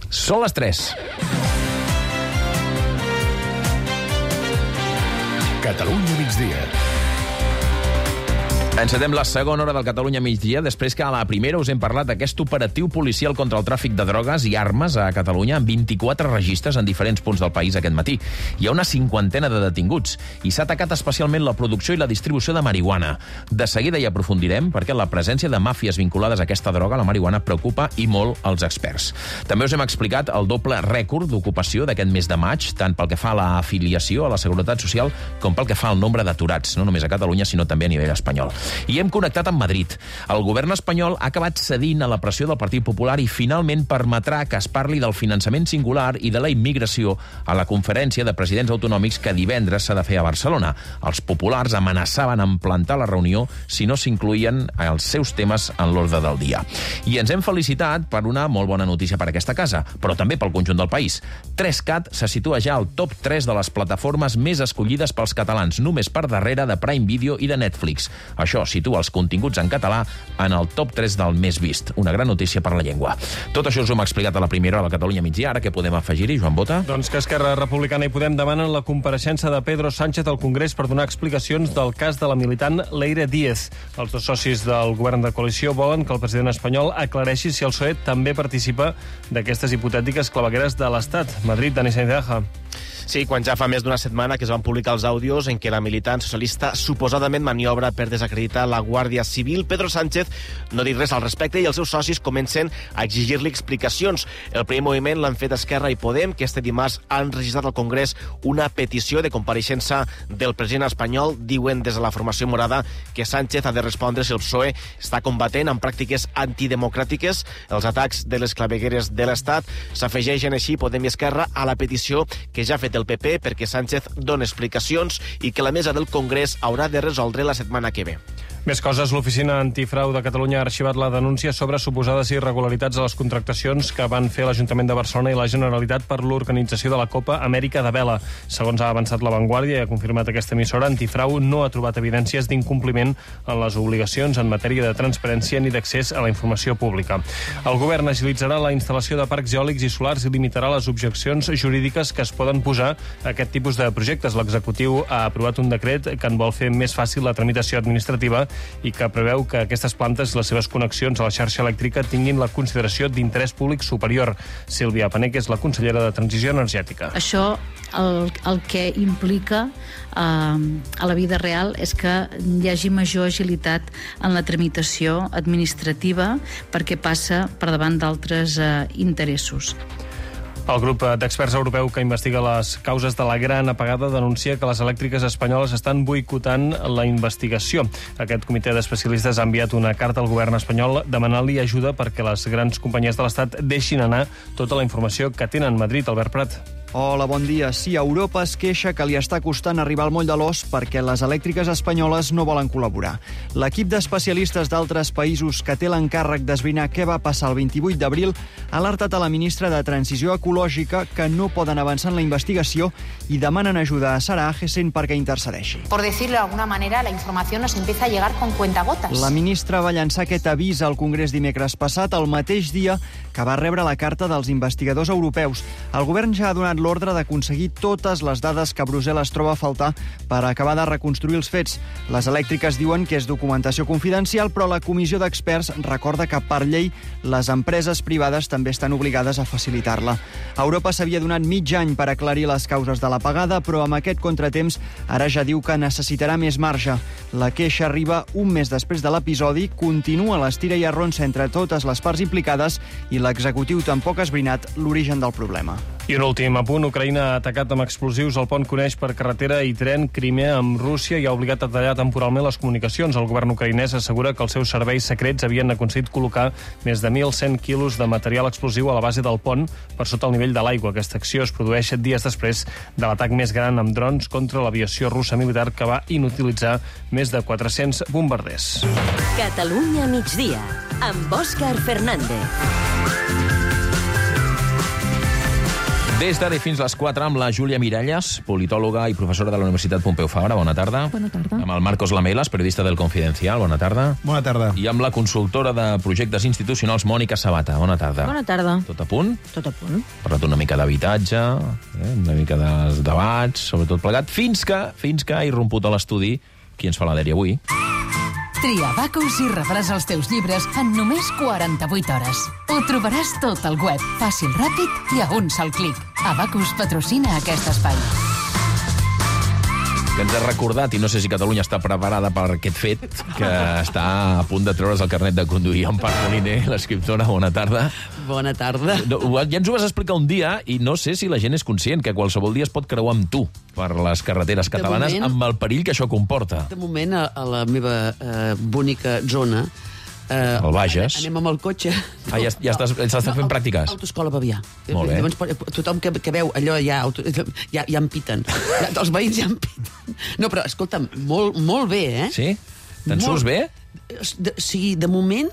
Són les 3. Catalunya migdia. Encetem la segona hora del Catalunya migdia, després que a la primera us hem parlat d'aquest operatiu policial contra el tràfic de drogues i armes a Catalunya, amb 24 registres en diferents punts del país aquest matí. Hi ha una 50 de detinguts i s'ha atacat especialment la producció i la distribució de marihuana. De seguida hi aprofundirem perquè la presència de màfies vinculades a aquesta droga, la marihuana, preocupa i molt els experts. També us hem explicat el doble rècord d'ocupació d'aquest mes de maig, tant pel que fa a l'afiliació a la Seguretat Social com pel que fa al nombre d'aturats, no només a Catalunya, sinó també a nivell espanyol. I hem connectat amb Madrid. El govern espanyol ha acabat cedint a la pressió del Partit Popular i finalment permetrà que es parli del finançament singular i de la immigració a la conferència de presidents autonòmics que divendres s'ha de fer a Barcelona. Els populars amenaçaven amb plantar la reunió si no s'incloïen els seus temes en l'ordre del dia. I ens hem felicitat per una molt bona notícia per a aquesta casa, però també pel conjunt del país. 3cat se situa ja al top 3 de les plataformes més escollides pels catalans, només per darrere de Prime Video i de Netflix. Això situa els continguts en català en el top 3 del més vist. Una gran notícia per la llengua. Tot això us ho hem explicat a la primera hora del Catalunya migdia. Ara què podem afegir-hi, Joan Bota? Doncs que Esquerra Republicana i Podem demanen la compareixença de Pedro Sánchez al Congrés per donar explicacions del cas de la militant Leire Díez. Els dos socis del govern de coalició volen que el president espanyol aclareixi si el PSOE també participa d'aquestes hipotètiques clavegueres de l'Estat. Madrid, Dani Sainz. Sí, quan ja fa més d'una setmana que es van publicar els àudios en què la militant socialista suposadament maniobra per desacreditar la Guàrdia Civil, Pedro Sánchez no diu res al respecte i els seus socis comencen a exigir-li explicacions. El primer moviment l'han fet Esquerra i Podem, que este dimarts han registrat al Congrés una petició de compareixença del president espanyol. Diuen des de la formació morada que Sánchez ha de respondre si el PSOE està combatent amb pràctiques antidemocràtiques els atacs de les clavegueres de l'Estat. S'afegeixen així Podem i Esquerra a la petició que ja ha fet el PP perquè Sánchez doni explicacions i que la mesa del Congrés haurà de resoldre la setmana que ve. Més coses, l'Oficina Antifrau de Catalunya ha arxivat la denúncia sobre suposades irregularitats a les contractacions que van fer l'Ajuntament de Barcelona i la Generalitat per l'organització de la Copa Amèrica de Vela. Segons ha avançat La Vanguardia i ha confirmat aquesta emissora, Antifrau no ha trobat evidències d'incompliment en les obligacions en matèria de transparència ni d'accés a la informació pública. El govern agilitzarà la instal·lació de parcs eòlics i solars i limitarà les objeccions jurídiques que es poden posar a aquest tipus de projectes. L'executiu ha aprovat un decret que en vol fer més fàcil la tramitació administrativa i que preveu que aquestes plantes i les seves connexions a la xarxa elèctrica tinguin la consideració d'interès públic superior. Sílvia Panek és la consellera de Transició Energètica. Això el que implica a la vida real és que hi hagi major agilitat en la tramitació administrativa perquè passa per davant d'altres interessos. El grup d'experts europeu que investiga les causes de la gran apagada denuncia que les elèctriques espanyoles estan boicotant la investigació. Aquest comitè d'especialistes ha enviat una carta al govern espanyol demanant-li ajuda perquè les grans companyies de l'Estat deixin anar tota la informació que tenen. Madrid, Albert Prat. Hola, bon dia. Sí, Europa es queixa que li està costant arribar al moll de l'os perquè les elèctriques espanyoles no volen col·laborar. L'equip d'especialistes d'altres països que té l'encàrrec d'esbrinar què va passar el 28 d'abril ha alertat a la ministra de Transició Ecològica que no poden avançar en la investigació i demanen ajuda a Sara Agesen perquè intercedeixi. Por decirlo de alguna manera, la información nos empieza a llegar con cuentagotas. La ministra va llançar aquest avís al Congrés dimecres passat, el mateix dia que va rebre la carta dels investigadors europeus. El govern ja ha donat l'ordre d'aconseguir totes les dades que Brussel·les troba a faltar per acabar de reconstruir els fets. Les elèctriques diuen que és documentació confidencial, però la comissió d'experts recorda que per llei les empreses privades també estan obligades a facilitar-la. Europa s'havia donat mig any per aclarir les causes de l'apagada, però amb aquest contratemps ara ja diu que necessitarà més marge. La queixa arriba un mes després de l'episodi, continua l'estira i arronsa entre totes les parts implicades i l'executiu tampoc ha esbrinat l'origen del problema. I un últim apunt, Ucraïna ha atacat amb explosius el pont que uneix per carretera i tren Crimea amb Rússia i ha obligat a tallar temporalment les comunicacions. El govern ucraïnès assegura que els seus serveis secrets havien aconseguit col·locar més de 1.100 quilos de material explosiu a la base del pont per sota el nivell de l'aigua. Aquesta acció es produeix dies després de l'atac més gran amb drons contra l'aviació russa militar que va inutilitzar més de 400 bombarders. Catalunya migdia, amb Òscar Fernández. Des d'ara fins les 4 amb la Júlia Miralles, politòloga i professora de la Universitat Pompeu Fabra. Bona tarda. Bona tarda. Amb el Marcos Lamelas, periodista del Confidencial. Bona tarda. Bona tarda. I amb la consultora de projectes institucionals, Mònica Sabata. Bona tarda. Bona tarda. Tot a punt? Tot a punt. Parlat una mica d'habitatge, una mica dels debats, sobretot plegat, fins que ha irromput a l'estudi qui ens fa la dèria avui. Tria Abacus i rebràs els teus llibres en només 48 hores. Ho trobaràs tot al web, fàcil, ràpid i a un sol clic. Abacus patrocina aquest espai. Que ens ha recordat, i no sé si Catalunya està preparada per aquest fet, que està a punt de treure's el carnet de conduir. Empar Moliner, l'escriptora, bona tarda. Bona tarda. Ja ens ho vas explicar un dia i no sé si la gent és conscient que qualsevol dia es pot creuar amb tu per les carreteres catalanes amb el perill que això comporta. De moment, a la meva bonica zona, el Bages. anem amb el cotxe. Ja estàs fent pràctiques? Autoescola Bavià. Molt bé. Llavors, tothom que veu allò ja em piten. Els veïns ja em piten. No, però, escolta'm, molt bé, eh? Sí? Te'n surts bé? Sí, de moment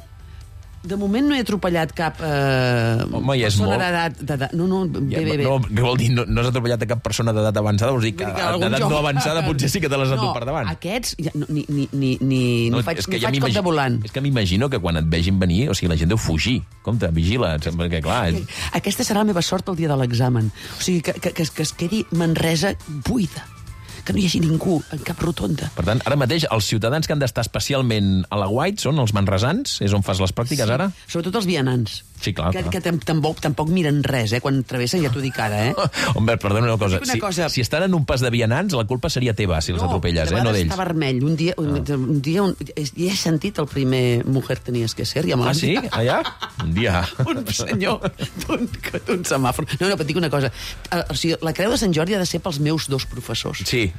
no he atropellat cap Home, ja és persona molt. d'edat. No, bé. No, què vol dir? No has atropellat cap persona d'edat avançada? Vols dir que d'edat no avançada potser sí que te les has per davant. No, aquests ni faig cop de volant. És que m'imagino que quan et vegin venir, o sigui, la gent deu fugir. Compte, vigila, perquè clar... Aquesta serà la meva sort el dia de l'examen. O sigui, que es quedi Manresa buida. Que no hi hagi ningú en cap rotonda. Per tant, ara mateix, els ciutadans que han d'estar especialment a la White són els manresans? És on fas les pràctiques, ara? Sobretot els vianants. Sí, clar. Que tampoc miren res, quan travessen, ja t'ho dic ara, Home, perdona una cosa. Si estan en un pas de vianants, la culpa seria teva, si els atropelles, no d'ells. Està vermell. Un dia ja he sentit el primer Mujer tenies que ser. Ah, sí? Allà? Un dia. Un senyor d'un semàfor. No, però et dic una cosa. O sigui, la Creu de Sant Jordi ha de ser pels meus dos professors. Sí.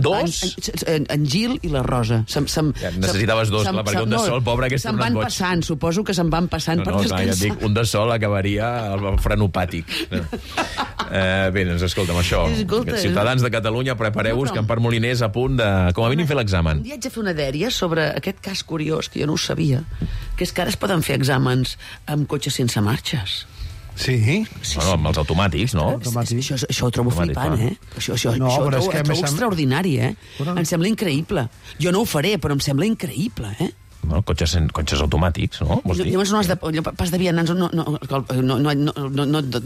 Dos? En Gil i la Rosa. Necessitaves dos, clar, perquè un de sol, pobre, que és un boig. Se'n van passant, suposo que se'n van passant per descansar. Ja et dic, un de sol acabaria el frenopàtic. Bé, doncs escolta'm, això. Ciutadans de Catalunya, prepareu-vos, que Empar Moliner és a punt de, com a mínim, fer l'examen. Un dia haig de fer una dèria sobre aquest cas curiós, que jo no ho sabia, que és que ara es poden fer exàmens amb cotxes sense marxes. Sí? Bueno, amb els automàtics, no? Això ho trobo flipant, Això ho trobo extraordinari, Em sembla increïble. Jo no ho faré, però em sembla increïble, Bueno, cotxes automàtics, no? Llavors no has de... Pas de vianants, no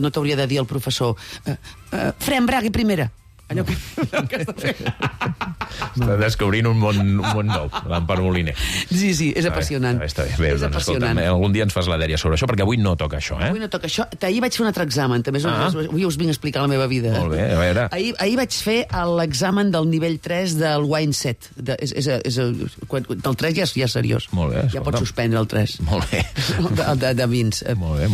t'hauria de dir el professor fre, embragui primera. Allò que està fent. Està descobrint un món nou, l'Empar Moliner. Sí, és apassionant. Està bé, doncs escolta, algun dia ens fas la dèria sobre això, perquè avui no toca això, Avui no toca això. Ahir vaig fer un altre examen, també avui us vinc a explicar la meva vida. Molt bé, a veure. Ahir vaig fer l'examen del nivell 3 del wine set. Del 3 ja és seriós. Molt bé, ja pots suspendre el 3. Molt bé. De vins. Molt bé.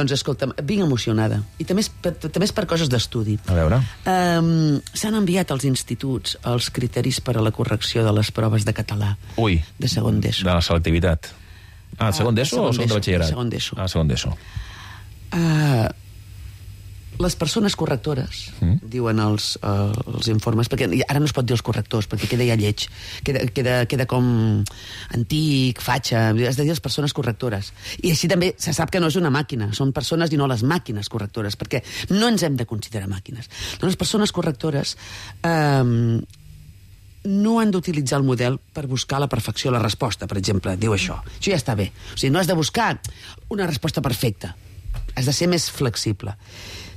Doncs escolta'm, vinc emocionada. I també és per coses d'estudi. A veure. S'han enviat als instituts els criteris per a la correcció de les proves de català. Ui. De segon d'ESO. De la selectivitat. Segon d'ESO o segon de batxillerat? Segon d'ESO. Segon d'ESO. Les persones correctores, diuen els informes, perquè ara no es pot dir els correctors, perquè queda ja lleig, queda com antic, fatxa, has de dir les persones correctores. I així també se sap que no és una màquina, són persones i no les màquines correctores, perquè no ens hem de considerar màquines. Doncs les persones correctores no han d'utilitzar el model per buscar la perfecció a la resposta, per exemple, diu això. Això ja està bé. O sigui, no has de buscar una resposta perfecta, has de ser més flexible.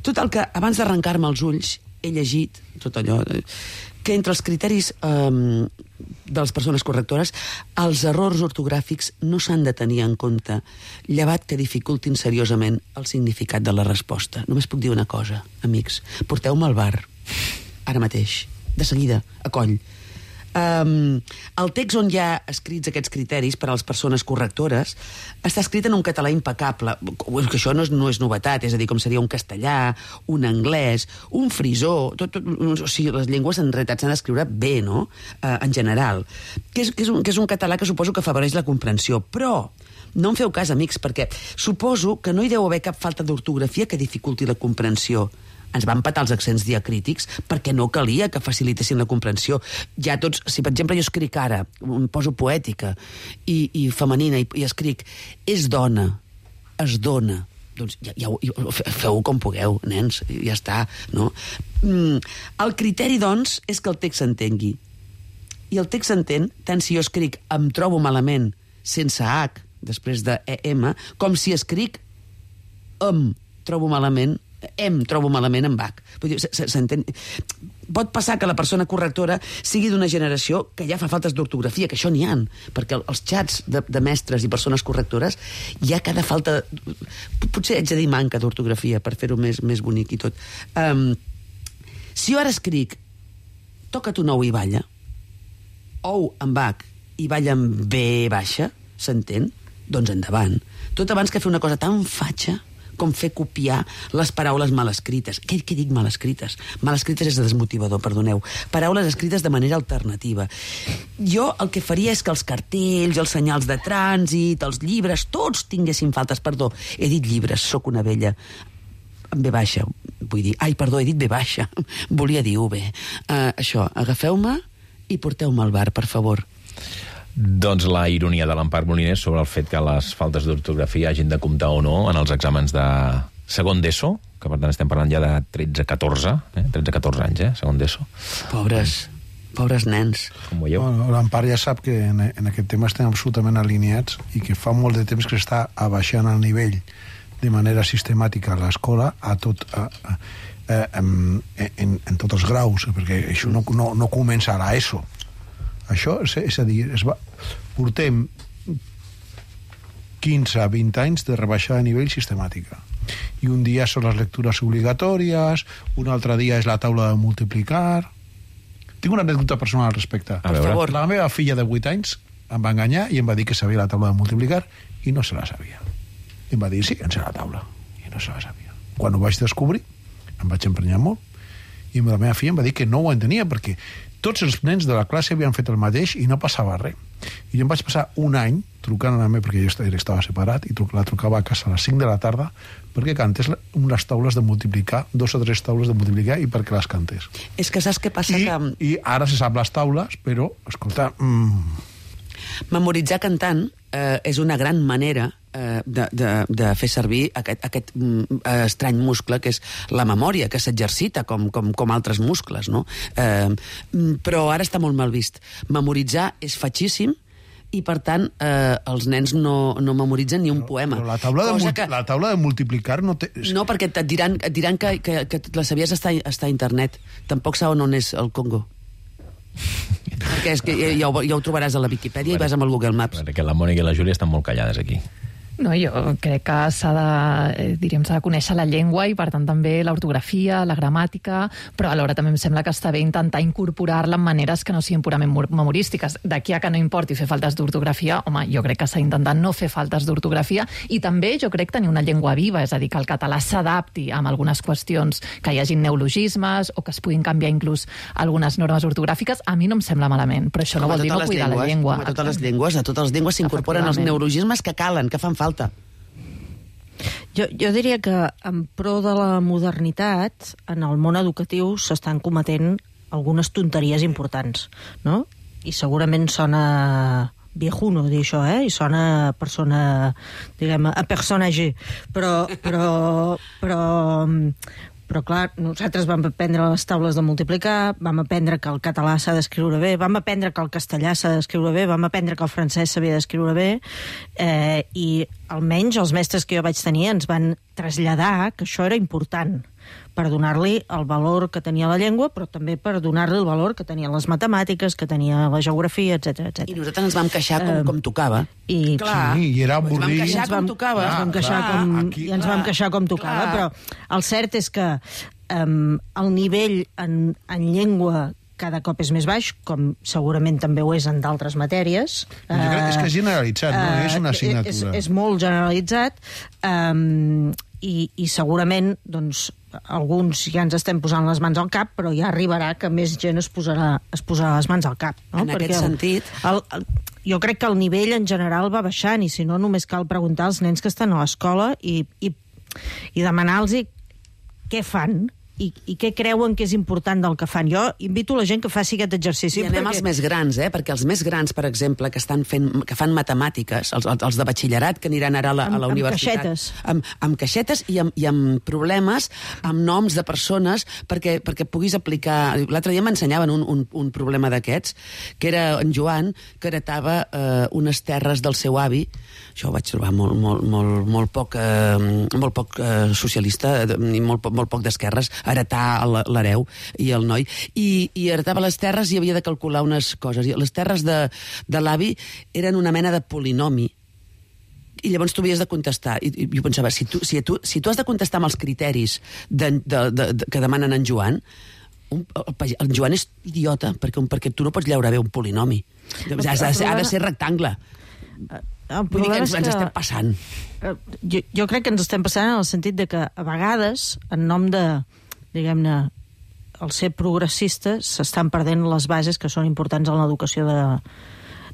Total, que abans d'arrencar-me els ulls he llegit tot allò, que entre els criteris de les persones correctores els errors ortogràfics no s'han de tenir en compte, llevat que dificultin seriosament el significat de la resposta. Només puc dir una cosa, amics, porteu-me al bar, ara mateix, de seguida, a coll. El text on hi ha escrits aquests criteris per a les persones correctores està escrit en un català impecable, que això no és novetat, és a dir, com seria un castellà, un anglès, un frisó, o sigui, les llengües en realitat s'han d'escriure bé, no?, en general, que és un català que suposo que afavoreix la comprensió, però no em feu cas, amics, perquè suposo que no hi deu haver cap falta d'ortografia que dificulti la comprensió. Ens van patar els accents diacrítics perquè no calia que facilitessin la comprensió. Ja tots, si per exemple jo escric ara, em poso poètica i femenina i escric és dona, es dona, doncs feu com pugueu, nens, ja està, no? El criteri, doncs, és que el text s'entengui. I el text s'entén tant si jo escric em trobo malament sense H, després de EM, com si escric em trobo malament amb H. Vull dir, s'entén... Pot passar que la persona correctora sigui d'una generació que ja fa faltes d'ortografia, que això n'hi ha, perquè els xats de mestres i persones correctores hi ha cada falta... Potser haig de dir manca d'ortografia per fer-ho més bonic i tot. Si jo ara escric toca't un ou i balla, ou amb H i balla amb B baixa, s'entén? Doncs endavant. Tot abans que fer una cosa tan fatxa com fer copiar les paraules mal escrites. Què dic mal escrites? Mal escrites és desmotivador, perdoneu. Paraules escrites de manera alternativa. Jo el que faria és que els cartells, els senyals de trànsit, els llibres, tots tinguessin faltes. Perdó, he dit llibres, sóc una vella. Amb B baixa, vull dir... Ai, perdó, he dit B baixa. Volia dir UB. Això, agafeu-me i porteu-me al bar, per favor. Doncs la ironia de l'Empar Molinès sobre el fet que les faltes d'ortografia hagin de comptar o no en els exàmens de segon d'ESO, que per tant estem parlant ja de 13-14 anys, segon d'ESO. Pobres nens. Com veieu? Bueno, l'Empar ja sap que en aquest tema estem absolutament alineats i que fa molt de temps que està abaixant el nivell de manera sistemàtica a l'escola en tots els graus, perquè això no comença a l'ESO. Això, és a dir, portem 15 a 20 anys de rebaixada de nivell sistemàtica. I un dia són les lectures obligatòries, un altre dia és la taula de multiplicar. Tinc una anècdota personal al respecte. Per favor. La meva filla de 8 anys em va enganyar i em va dir que sabia la taula de multiplicar i no se la sabia. I em va dir, sí, en sé la taula. I no se la sabia. Quan ho vaig descobrir, em vaig emprenyar molt i la meva filla em va dir que no ho entenia perquè tots els nens de la classe havien fet el mateix i no passava res. I jo em vaig passar un any trucant a la meva, perquè jo estava separat, i la trucava a casa a les 5 de la tarda perquè cantés unes taules de multiplicar, 2 o 3 taules de multiplicar, i perquè les cantés. És que saps què passa? I ara se sap les taules, però, escolta... Memoritzar cantant és una gran manera de fer servir aquest estrany muscle que és la memòria, que s'exercita com altres muscles, no? Però ara està molt mal vist. Memoritzar és fatxíssim i, per tant, els nens no memoritzen ni un poema. Però la taula de multiplicar no té... No, perquè et diran que la sabies estar a internet. Tampoc saben on és el Congo. Perquè és que ja ho trobaràs a la Viquipèdia i vas amb el Google Maps. Perquè la Mònica i la Júlia estan molt callades aquí. No, jo crec que s'ha de conèixer la llengua i, per tant, també l'ortografia, la gramàtica, però alhora també em sembla que està bé intentar incorporar-la en maneres que no siguin purament memorístiques. D'aquí a que no importi fer faltes d'ortografia, home, jo crec que s'ha d'intentar no fer faltes d'ortografia i també jo crec tenir una llengua viva, és a dir, que el català s'adapti amb algunes qüestions, que hi hagin neologismes o que es puguin canviar inclús algunes normes ortogràfiques, a mi no em sembla malament, però això no vol dir no cuidar la llengua. A totes les llengües s'incorporen els neologismes que calen, que fan falta. Jo diria que en pro de la modernitat, en el món educatiu s'estan cometent algunes tonteries importants, no? I segurament sona viejuno dir això, i sona persona, diguem, a personatge, però clar, nosaltres vam aprendre les taules de multiplicar, vam aprendre que el català s'ha d'escriure bé, vam aprendre que el castellà s'ha d'escriure bé, vam aprendre que el francès s'havia d'escriure bé, i almenys els mestres que jo vaig tenir ens van traslladar que això era important per donar-li el valor que tenia la llengua, però també per donar-li el valor que tenien les matemàtiques, que tenia la geografia, etc. I nosaltres ens vam queixar com tocava. I era avorrit. Ens vam queixar com tocava, però el cert és que el nivell en llengua cada cop és més baix, com segurament també ho és en d'altres matèries. És que és generalitzat, no és una assignatura. És molt generalitzat, i segurament, doncs, alguns ja ens estem posant les mans al cap, però ja arribarà que més gent es posarà les mans al cap. No? En aquest sentit... Jo crec que el nivell en general va baixant, i si no, només cal preguntar als nens que estan a l'escola i demanar-los què fan i què creuen que és important del que fan. Jo invito la gent que faci aquest exercici. I anem als més grans, perquè els més grans, per exemple, que fan matemàtiques, els de batxillerat que aniran ara a la universitat. Amb caixetes i amb problemes, amb noms de persones, perquè puguis aplicar... L'altre dia m'ensenyaven un problema d'aquests, que era en Joan, que heretava unes terres del seu avi. Això ho vaig trobar molt poc socialista i molt poc d'esquerres, heretar l'hereu i el noi. I heretava les terres i havia de calcular unes coses. I les terres de l'avi eren una mena de polinomi. I llavors tu havies de contestar. I jo pensava, si tu has de contestar amb els criteris que demanen en Joan, en Joan és idiota, perquè tu no pots llaure bé un polinomi. Ha de ser rectangle. Vull dir que ens estem passant. Jo crec que ens estem passant en el sentit de que a vegades, en nom de, diguem-ne, el ser progressista, s'estan perdent les bases que són importants en l'educació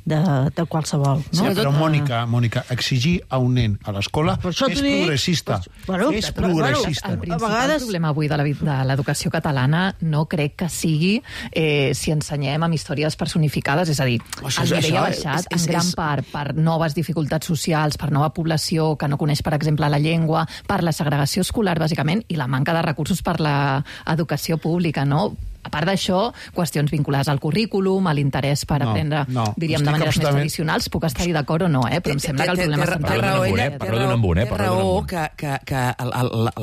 de qualsevol. Sí, però Mònica, exigir a un nen a l'escola és progressista. És progressista. El principal problema avui de l'educació catalana no crec que sigui si ensenyem amb històries personificades, és a dir, el nivell ha baixat en gran part per noves dificultats socials, per nova població que no coneix, per exemple, la llengua, per la segregació escolar, bàsicament, i la manca de recursos per l'educació pública, no? A part d'això, qüestions vinculades al currículum, a l'interès per aprendre, diríem, de maneres més tradicionals, puc estar-hi d'acord o no, però em sembla que el problema central... Té raó que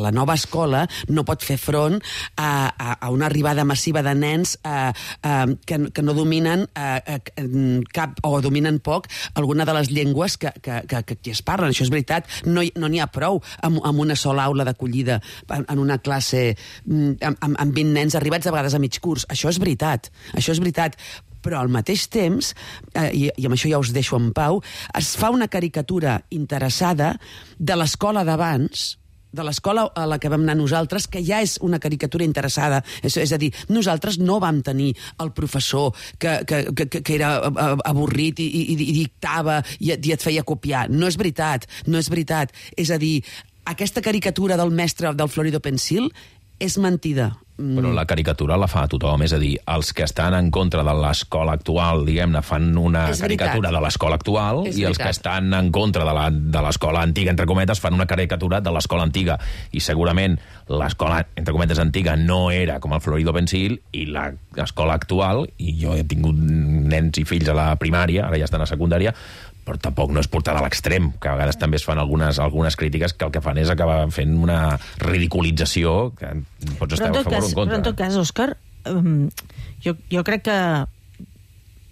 la nova escola no pot fer front a una arribada massiva de nens que no dominen cap o dominen poc alguna de les llengües que es parlen. Això és veritat. No n'hi ha prou amb una sola aula d'acollida en una classe amb 20 nens arribats a vegades a mig curs. Això és veritat, però al mateix temps, i amb això ja us deixo en pau, es fa una caricatura interessada de l'escola d'abans, de l'escola a la que vam anar nosaltres, que ja és una caricatura interessada. És a dir, nosaltres no vam tenir el professor que era avorrit i dictava i et feia copiar. No és veritat. És a dir, aquesta caricatura del mestre del Florido Pensil és mentida. Però la caricatura la fa tothom, és a dir, els que estan en contra de l'escola actual, diguem-ne, fan una caricatura de l'escola actual i els que estan en contra de l'escola antiga, entre cometes, fan una caricatura de l'escola antiga. I segurament l'escola, entre cometes, antiga no era com el Florido Pensil i l'escola actual, i jo he tingut nens i fills a la primària, ara ja estan a secundària, però tampoc no és portada a l'extrem, que a vegades també es fan algunes crítiques que el que fan és acabar fent una ridiculització que pots estar a favor o en contra. Però en tot cas, Òscar, jo crec que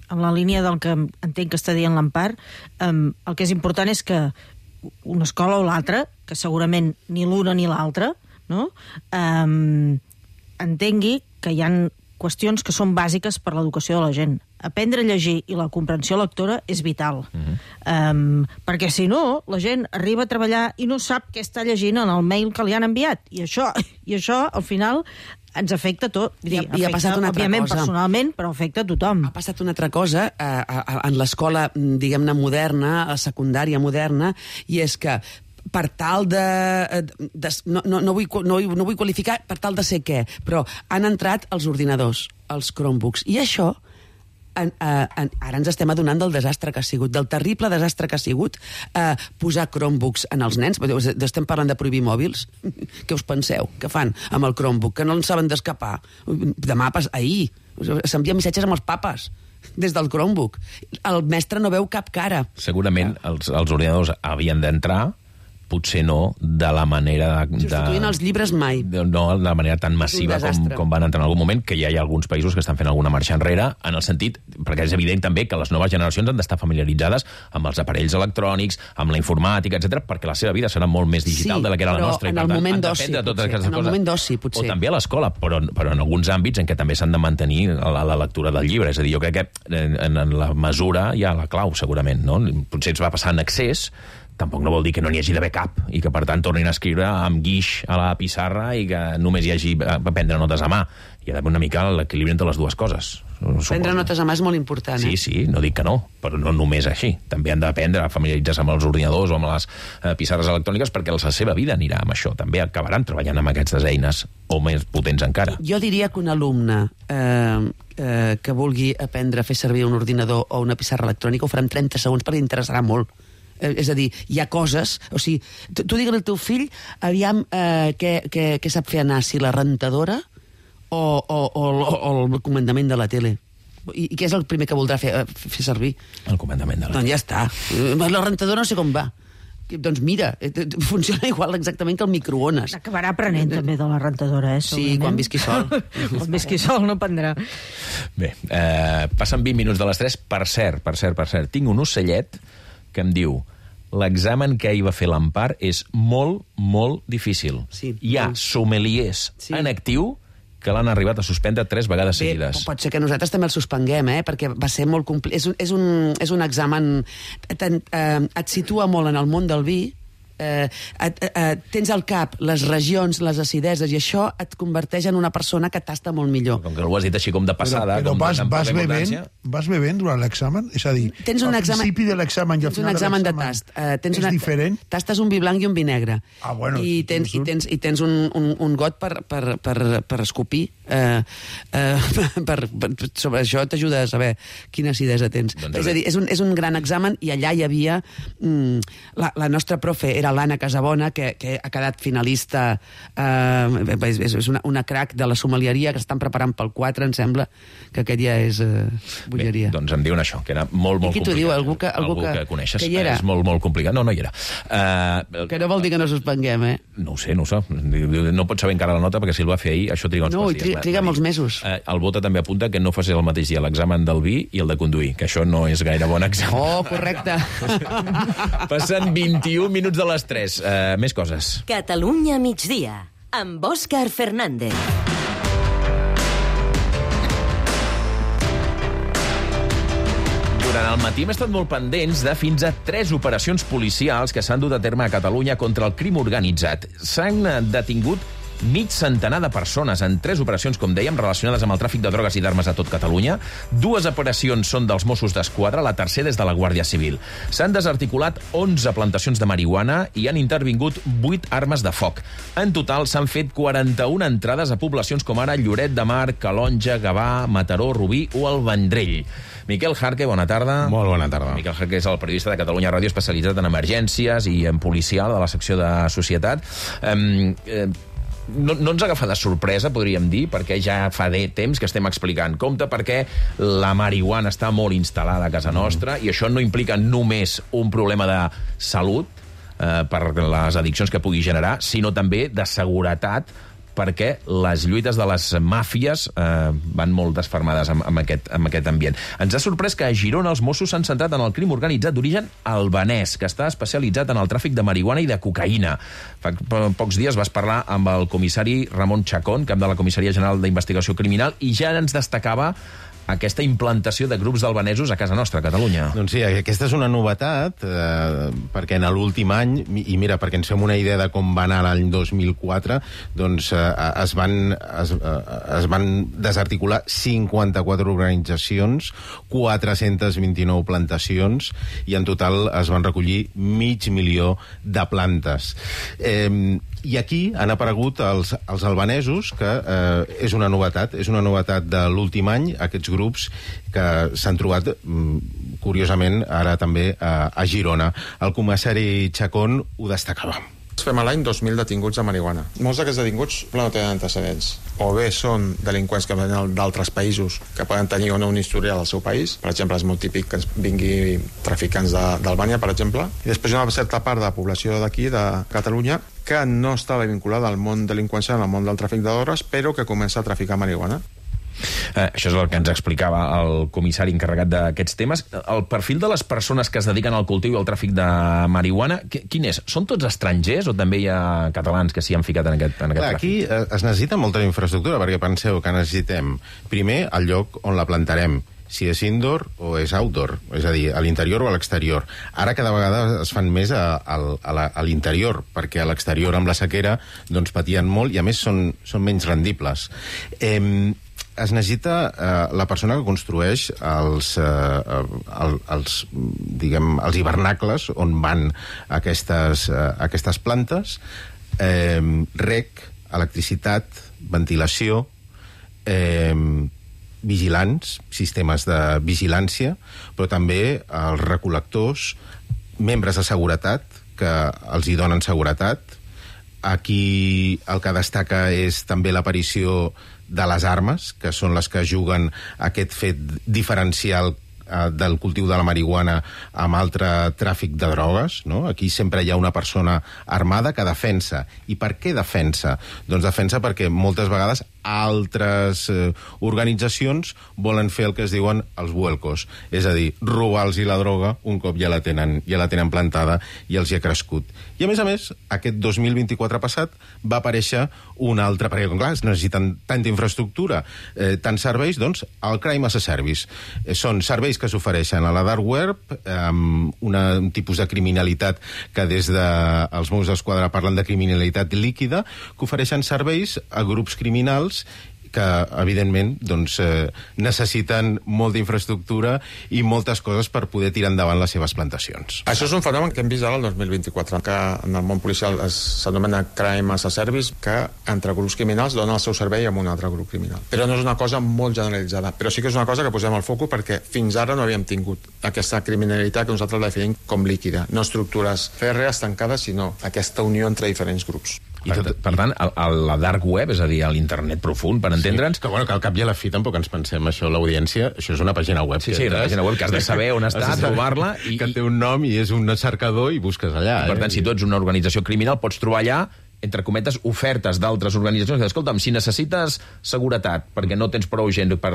en la línia del que entenc que està dient l'Empar, el que és important és que una escola o l'altra, que segurament ni l'una ni l'altra, no? Entengui que hi ha qüestions que són bàsiques per l'educació de la gent. Aprendre a llegir i la comprensió lectora és vital. Perquè si no, la gent arriba a treballar i no sap què està llegint en el mail que li han enviat. I això al final, ens afecta tot. I ha passat una altra òbviament, cosa. Personalment, però afecta a tothom. Ha passat una altra cosa en l'escola, diguem-ne, moderna, a la secundària moderna, i és que per tal no vull qualificar per tal de ser què, però han entrat els ordinadors, els Chromebooks, i això ara ens estem adonant del desastre que ha sigut, del terrible desastre que ha sigut posar Chromebooks en els nens. Estem parlant de prohibir mòbils. Què us penseu? Què fan amb el Chromebook? Que no en saben d'escapar. Ahir s'envien missatges amb els papes des del Chromebook. El mestre no veu cap cara. Segurament els ordinadors havien d'entrar, potser no de la manera... Substituint els llibres mai. No de la manera tan massiva com van entrar en algun moment, que ja hi ha alguns països que estan fent alguna marxa enrere, en el sentit, perquè és evident també que les noves generacions han d'estar familiaritzades amb els aparells electrònics, amb la informàtica, etc, perquè la seva vida serà molt més digital de la que era la nostra. En el moment d'oci, potser. O també a l'escola, però en alguns àmbits en què també s'han de mantenir la lectura del llibre. És a dir, jo crec que en la mesura hi ha la clau, segurament, no? Potser ens va passar en excés, tampoc no vol dir que no n'hi hagi d'haver cap i que, per tant, tornin a escriure amb guix a la pissarra i que només hi hagi a prendre notes a mà. Hi ha d'haver una mica l'equilibri entre les dues coses. Prendre notes a mà és molt important, Sí, no dic que no, però no només així. També han d'aprendre a familiaritzar-se amb els ordinadors o amb les pissarres electròniques perquè la seva vida anirà amb això. També acabaran treballant amb aquestes eines o més potents encara. Jo diria que un alumne que vulgui aprendre a fer servir un ordinador o una pissarra electrònica ho farà en 30 segons perquè interessarà molt. És a dir, hi ha coses... O sigui, tu digues al teu fill aviam què sap fer anar, si la rentadora o el comandament de la tele. I què és el primer que voldrà fer servir? El comandament de la tele. Doncs ja està. La rentadora no sé com va. Doncs mira, funciona igual exactament que el microones. Acabarà aprenent també de la rentadora, Sí, quan visqui sol. Quan visqui sol no prendrà. Bé, passen 20 minuts de les 3. Per cert, tinc un ocellet que em diu: l'examen que ahir va fer l'Empar és molt, molt difícil. Hi ha sommeliers en actiu que l'han arribat a suspendre 3 vegades seguides. Pot ser que nosaltres també el suspenguem, perquè va ser molt complicat. És un examen... Et situa molt en el món del vi, tens al cap les regions, les acideses, i això et converteix en una persona que tasta molt millor. Com que ho has dit així com de passada... Però vas bevent durant l'examen? És a dir, al principi de l'examen i al final de l'examen és diferent? Tastes un vi blanc i un vi negre. Bueno, I tens un got per escopir. Sobre això t'ajuda a saber quina acidesa tens. És a dir, és un gran examen, i allà hi havia... La nostra profe era l'Anna Casabona, que ha quedat finalista, és una crac de la sommelieria, que estan preparant pel 4, em sembla, que aquest ja és bogeria. Doncs em diuen això, que era molt, molt complicat. I qui t'ho diu? Algú que coneixes. Que hi era? És molt, molt complicat. No hi era. Que no vol dir que no suspenguem, No ho sé. No pots saber encara la nota, perquè si el va fer ahir, això triga uns quants dies. No, triga molts mesos. El Bota també apunta que no facis el mateix dia l'examen del vi i el de conduir, que això no és gaire bon examen. Oh, correcte. Passen 21 minuts de les 3. Més coses. Catalunya migdia, amb Òscar Fernández. Durant el matí hem estat molt pendents de fins a 3 operacions policials que s'han dut a terme a Catalunya contra el crim organitzat. S'han detingut mig centenar de persones en 3 operacions, com dèiem, relacionades amb el tràfic de drogues i d'armes a tot Catalunya. 2 operacions són dels Mossos d'Esquadra, la tercera és de la Guàrdia Civil. S'han desarticulat 11 plantacions de marihuana i han intervingut 8 armes de foc. En total s'han fet 41 entrades a poblacions com ara Lloret de Mar, Calonja, Gavà, Mataró, Rubí o el Vendrell. Miquel Jarque, bona tarda. Molt bona tarda. Miquel Jarque és el periodista de Catalunya Ràdio especialitzat en emergències i en policial de la secció de societat. No ens agafa de sorpresa, podríem dir, perquè ja fa temps que estem explicant. Compte perquè la marihuana està molt instal·lada a casa nostra i això no implica només un problema de salut per les addiccions que pugui generar, sinó també de seguretat, perquè les lluites de les màfies van molt desfermades amb aquest ambient. Ens ha sorprès que a Girona els Mossos s'han centrat en el crim organitzat d'origen albanès, que està especialitzat en el tràfic de marihuana i de cocaïna. Fa pocs dies vas parlar amb el comissari Ramon Chacón, cap de la Comissaria General d'Investigació Criminal, i ja ens destacava aquesta implantació de grups albanesos a casa nostra, a Catalunya. Doncs sí, aquesta és una novetat, perquè en l'últim any, i mira, perquè ens fem una idea de com va anar l'any 2004, doncs es van desarticular 54 organitzacions, 429 plantacions, i en total es van recollir 500.000 de plantes. I aquí han aparegut els albanesos, que és una novetat de l'últim any, aquests grups que s'han trobat, curiosament, ara també a Girona. El comissari Chacón ho destacava. Fem a l'any 2.000 detinguts de marihuana. Molts d'aquests detinguts no tenen antecedents. O bé són delinqüents que venen d'altres països que poden tenir o no un historial al seu país. Per exemple, és molt típic que ens vingui traficants d'Albània, per exemple. I després hi ha una certa part de la població d'aquí, de Catalunya, que no estava vinculada al món delinqüencial, al món del tràfic de drogues, però que comença a traficar marihuana. Això és el que ens explicava el comissari encarregat d'aquests temes. El perfil de les persones que es dediquen al cultiu i al tràfic de marihuana, quin és? Són tots estrangers o també hi ha catalans que s'hi han ficat en aquest tràfic? Aquí es necessita molta infraestructura, perquè penseu que necessitem primer el lloc on la plantarem. si és indoor o és outdoor, és a dir, a l'interior o a l'exterior. Ara cada vegada es fan més a l'interior, perquè a l'exterior amb la sequera doncs patien molt i a més són menys rendibles. Es necessita la persona que construeix els hivernacles on van aquestes plantes, rec, electricitat, ventilació, vigilants, sistemes de vigilància, però també els recol·lectors, membres de seguretat, que els hi donen seguretat. Aquí el que destaca és també l'aparició de les armes, que són les que juguen aquest fet diferencial del cultiu de la marihuana amb altre tràfic de drogues, no? Aquí sempre hi ha una persona armada que defensa. I per què defensa? Doncs defensa perquè moltes vegades altres organitzacions volen fer el que es diuen els vuelcos, és a dir, robar-los la droga un cop ja la tenen plantada i els hi ha crescut. I a més, aquest 2024 passat va aparèixer un altre, perquè clar, es necessiten tanta infraestructura, tants serveis, doncs el Crime as a Service. Són serveis que s'ofereixen a la dark web, amb un tipus de criminalitat que des dels Mossos d'Esquadra parlen de criminalitat líquida, que ofereixen serveis a grups criminals que, evidentment, doncs, necessiten molta infraestructura i moltes coses per poder tirar endavant les seves plantacions. Això és un fenomen que hem vist ara el 2024, que en el món policial s'anomena Crime as a Service, que entre grups criminals donen el seu servei a un altre grup criminal. Però no és una cosa molt generalitzada, però sí que és una cosa que posem al foco perquè fins ara no havíem tingut aquesta criminalitat que nosaltres la definim com líquida, no estructures fèrrees tancades, sinó aquesta unió entre diferents grups. Per tant, la dark web, és a dir, l'internet profund, per entendre'ns... Que al cap i a la fi tampoc ens pensem això, l'audiència, això és una pàgina web. Sí, una pàgina web que has de saber on està, trobar-la... Que té un nom i és un cercador i busques allà. Per tant, si tu ets una organització criminal, pots trobar allà, entre cometes, ofertes d'altres organitzacions que, escolta'm, si necessites seguretat perquè no tens prou gent per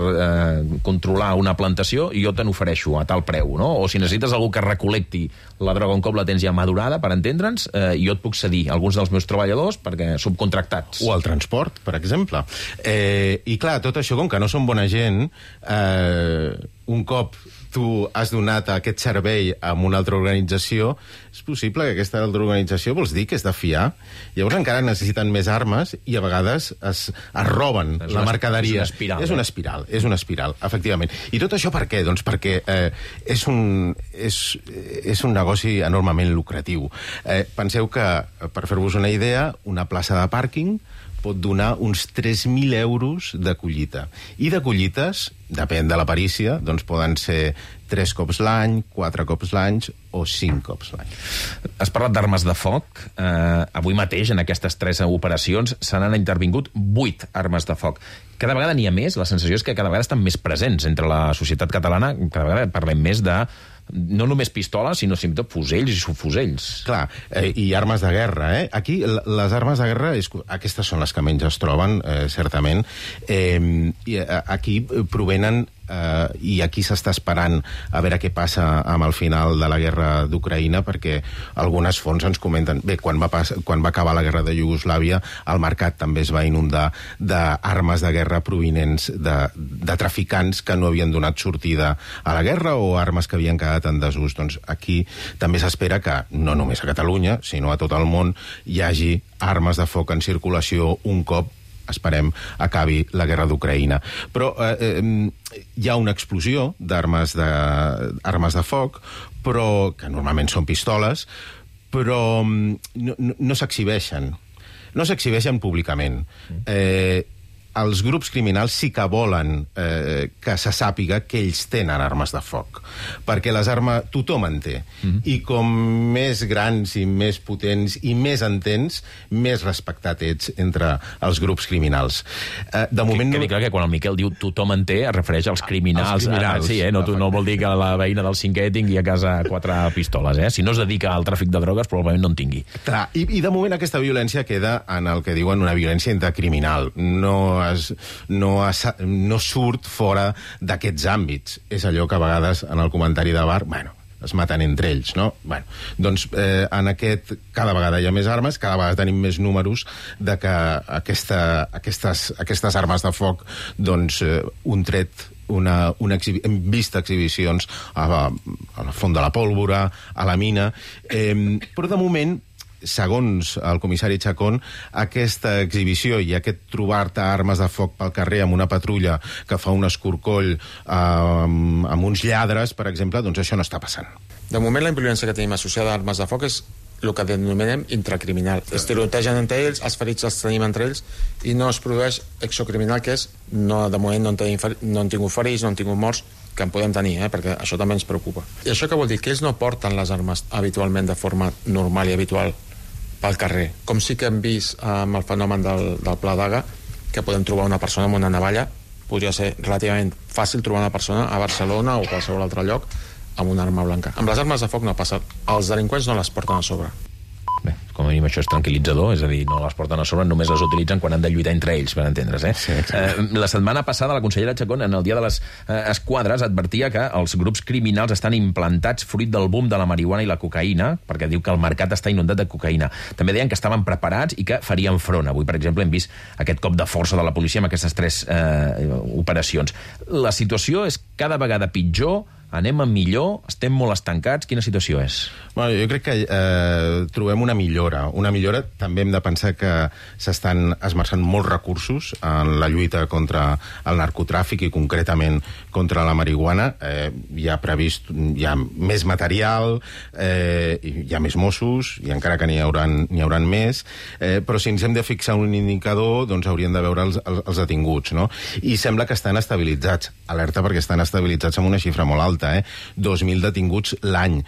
controlar una plantació, jo te n'ofereixo a tal preu, no? O si necessites algú que recol·lecti la droga un cop la tens ja madurada, per entendre'ns, jo et puc cedir alguns dels meus treballadors perquè subcontractats. O el transport, per exemple. I clar, tot això, com que no són bona gent, un cop tu has donat aquest servei a una altra organització, és possible que aquesta altra organització vols dir que és de fiar. Llavors encara necessiten més armes i a vegades es roben la mercaderia. És una espiral, efectivament. I tot això per què? Doncs perquè és un negoci enormement lucratiu. Penseu que, per fer-vos una idea, una plaça de pàrquing pot donar uns 3.000 euros de collita. I de collites, depèn de la perícia, doncs poden ser 3 cops l'any, 4 cops l'any o 5 cops l'any. Has parlat d'armes de foc. Avui mateix, en aquestes 3 operacions, se n'han intervingut 8 armes de foc. Cada vegada n'hi ha més, la sensació és que cada vegada estan més presents entre la societat catalana, cada vegada parlem més de no només pistoles, sinó tot fusells i subfusells. Clar, i armes de guerra, Aquí, les armes de guerra, aquestes són les que menys es troben, certament. I aquí provenen i aquí s'està esperant a veure què passa amb el final de la guerra d'Ucraïna, perquè algunes fonts ens comenten, bé, quan va acabar la guerra de Iugoslàvia, el mercat també es va inundar d'armes de guerra provinents de traficants que no havien donat sortida a la guerra o armes que havien quedat en desús. Doncs aquí també s'espera que, no només a Catalunya, sinó a tot el món, hi hagi armes de foc en circulació un cop, esperem, acabi la guerra d'Ucraïna. Però hi ha una explosió d'armes de foc, però que normalment són pistoles, però no s'exhibeixen. No s'exhibeixen públicament. Els grups criminals sí que volen que se sàpiga que ells tenen armes de foc, perquè les armes tothom en té, i com més grans i més potents i més entens, més respectat ets entre els grups criminals. De moment quedi clar que quan el Miquel diu tothom en té, es refereix als criminals. Sí, no vol dir que la veïna del cinquè tingui a casa 4 pistoles. Si no es dedica al tràfic de drogues, probablement no en tingui. Clar, i de moment aquesta violència queda en el que diuen una violència intercriminal. No surt fora d'aquests àmbits. És allò que a vegades en el comentari de bar, es maten entre ells, no? Doncs en aquest cada vegada hi ha més armes, cada vegada tenim més números de que aquestes armes de foc, doncs un tret hem vist exhibicions a la Font de la Pólvora, a la mina, però de moment, segons el comissari Chacón, aquesta exhibició i aquest trobar-te armes de foc pel carrer amb una patrulla que fa un escorcoll amb uns lladres, per exemple, doncs això no està passant. De moment, la violència que tenim associada a armes de foc és el que denominem intracriminal. Es tirotegen entre ells, els ferits els tenim entre ells, i no es produeix exocriminal, que és, de moment no han tingut ferits, no han tingut morts, que en podem tenir, perquè això també ens preocupa. I això què vol dir? Que ells no porten les armes habitualment de forma normal i habitual pel carrer, com sí que hem vist amb el fenomen del Pla d'Aga, que podem trobar una persona amb una navalla. Podria ser relativament fàcil trobar una persona a Barcelona o qualsevol altre lloc amb una arma blanca. Amb les armes de foc no passa. Els delinqüents no les porten a sobre. Bé, com a mínim això és tranquil·litzador, és a dir, no les porten a sobre, només les utilitzen quan han de lluitar entre ells, per entendre's, Sí, la setmana passada la consellera Chacón, en el dia de les esquadres, advertia que els grups criminals estan implantats fruit del boom de la marihuana i la cocaïna, perquè diu que el mercat està inundat de cocaïna. També deien que estaven preparats i que farien front. Avui, per exemple, hem vist aquest cop de força de la policia amb aquestes 3 operacions. La situació és cada vegada pitjor, anem a millor, estem molt estancats, quina situació és? Bueno, jo crec que trobem una millora. Una millora, també hem de pensar que s'estan esmerçant molts recursos en la lluita contra el narcotràfic i concretament contra la marihuana. Hi ha més material, hi ha més Mossos, i encara que n'hi hauran més, però si ens hem de fixar un indicador, doncs hauríem de veure els detinguts, no? I sembla que estan estabilitzats. Alerta perquè estan estabilitzats amb una xifra molt alta, 2.000 detinguts l'any.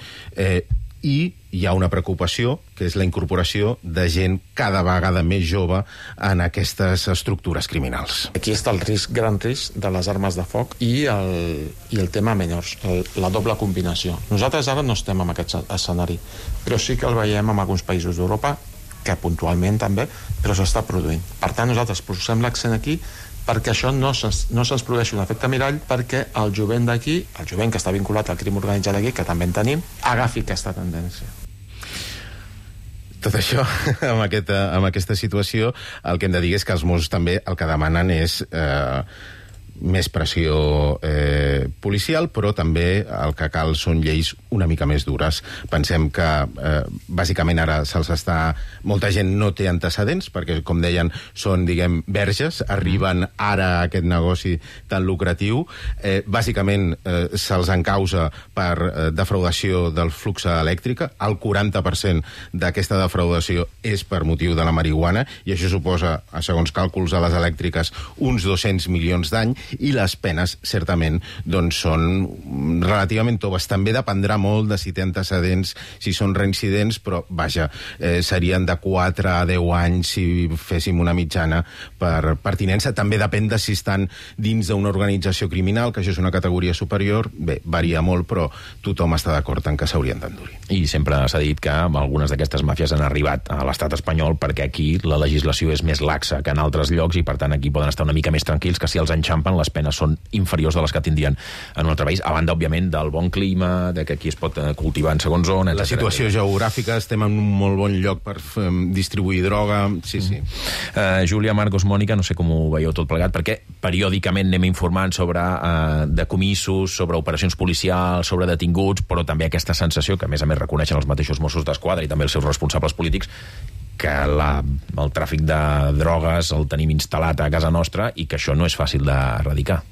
I hi ha una preocupació, que és la incorporació de gent cada vegada més jove en aquestes estructures criminals. Aquí està el gran risc de les armes de foc i el tema menors, la doble combinació. Nosaltres ara no estem en aquest escenari, però sí que el veiem en alguns països d'Europa, que puntualment també, però s'està produint. Per tant, nosaltres posem l'accent aquí perquè això no se'ns produeixi un efecte mirall, perquè el jovent d'aquí, el jovent que està vinculat al crim organitzat d'aquí, que també en tenim, agafi aquesta tendència. Tot això, amb aquesta situació, el que hem de dir és que els Mossos també el que demanen és més pressió policial, però també el que cal són lleis una mica més dures. Pensem que bàsicament ara se'ls està... Molta gent no té antecedents, perquè, com deien, són, diguem, verges, arriben ara a aquest negoci tan lucratiu. Bàsicament se'ls encausa per defraudació del flux elèctrica. El 40% d'aquesta defraudació és per motiu de la marihuana, i això suposa, segons càlculs de les elèctriques, uns 200 milions d'any, i les penes, certament, doncs són relativament toves. També dependrà molt de si té antecedents, si són reincidents, però, vaja, serien de 4 a 10 anys si féssim una mitjana per pertinença. També depèn de si estan dins d'una organització criminal, que això és una categoria superior. Bé, varia molt, però tothom està d'acord en que s'haurien d'endurir. I sempre s'ha dit que algunes d'aquestes màfies han arribat a l'estat espanyol perquè aquí la legislació és més laxa que en altres llocs i, per tant, aquí poden estar una mica més tranquils, que si els enxampen les penes són inferiors de les que tindrien en un altre país, a banda, òbviament, del bon clima, de que aquí es pot cultivar en segons zones... La situació geogràfica, estem en un molt bon lloc per distribuir droga... Sí. Júlia, Marcos, Mònica, no sé com ho veieu tot plegat, perquè periòdicament anem informant sobre decomissos, sobre operacions policials, sobre detinguts, però també aquesta sensació, que a més reconeixen els mateixos Mossos d'Esquadra i també els seus responsables polítics, que el tràfic de drogues el tenim instal·lat a casa nostra i que això no és fàcil d'erradicar.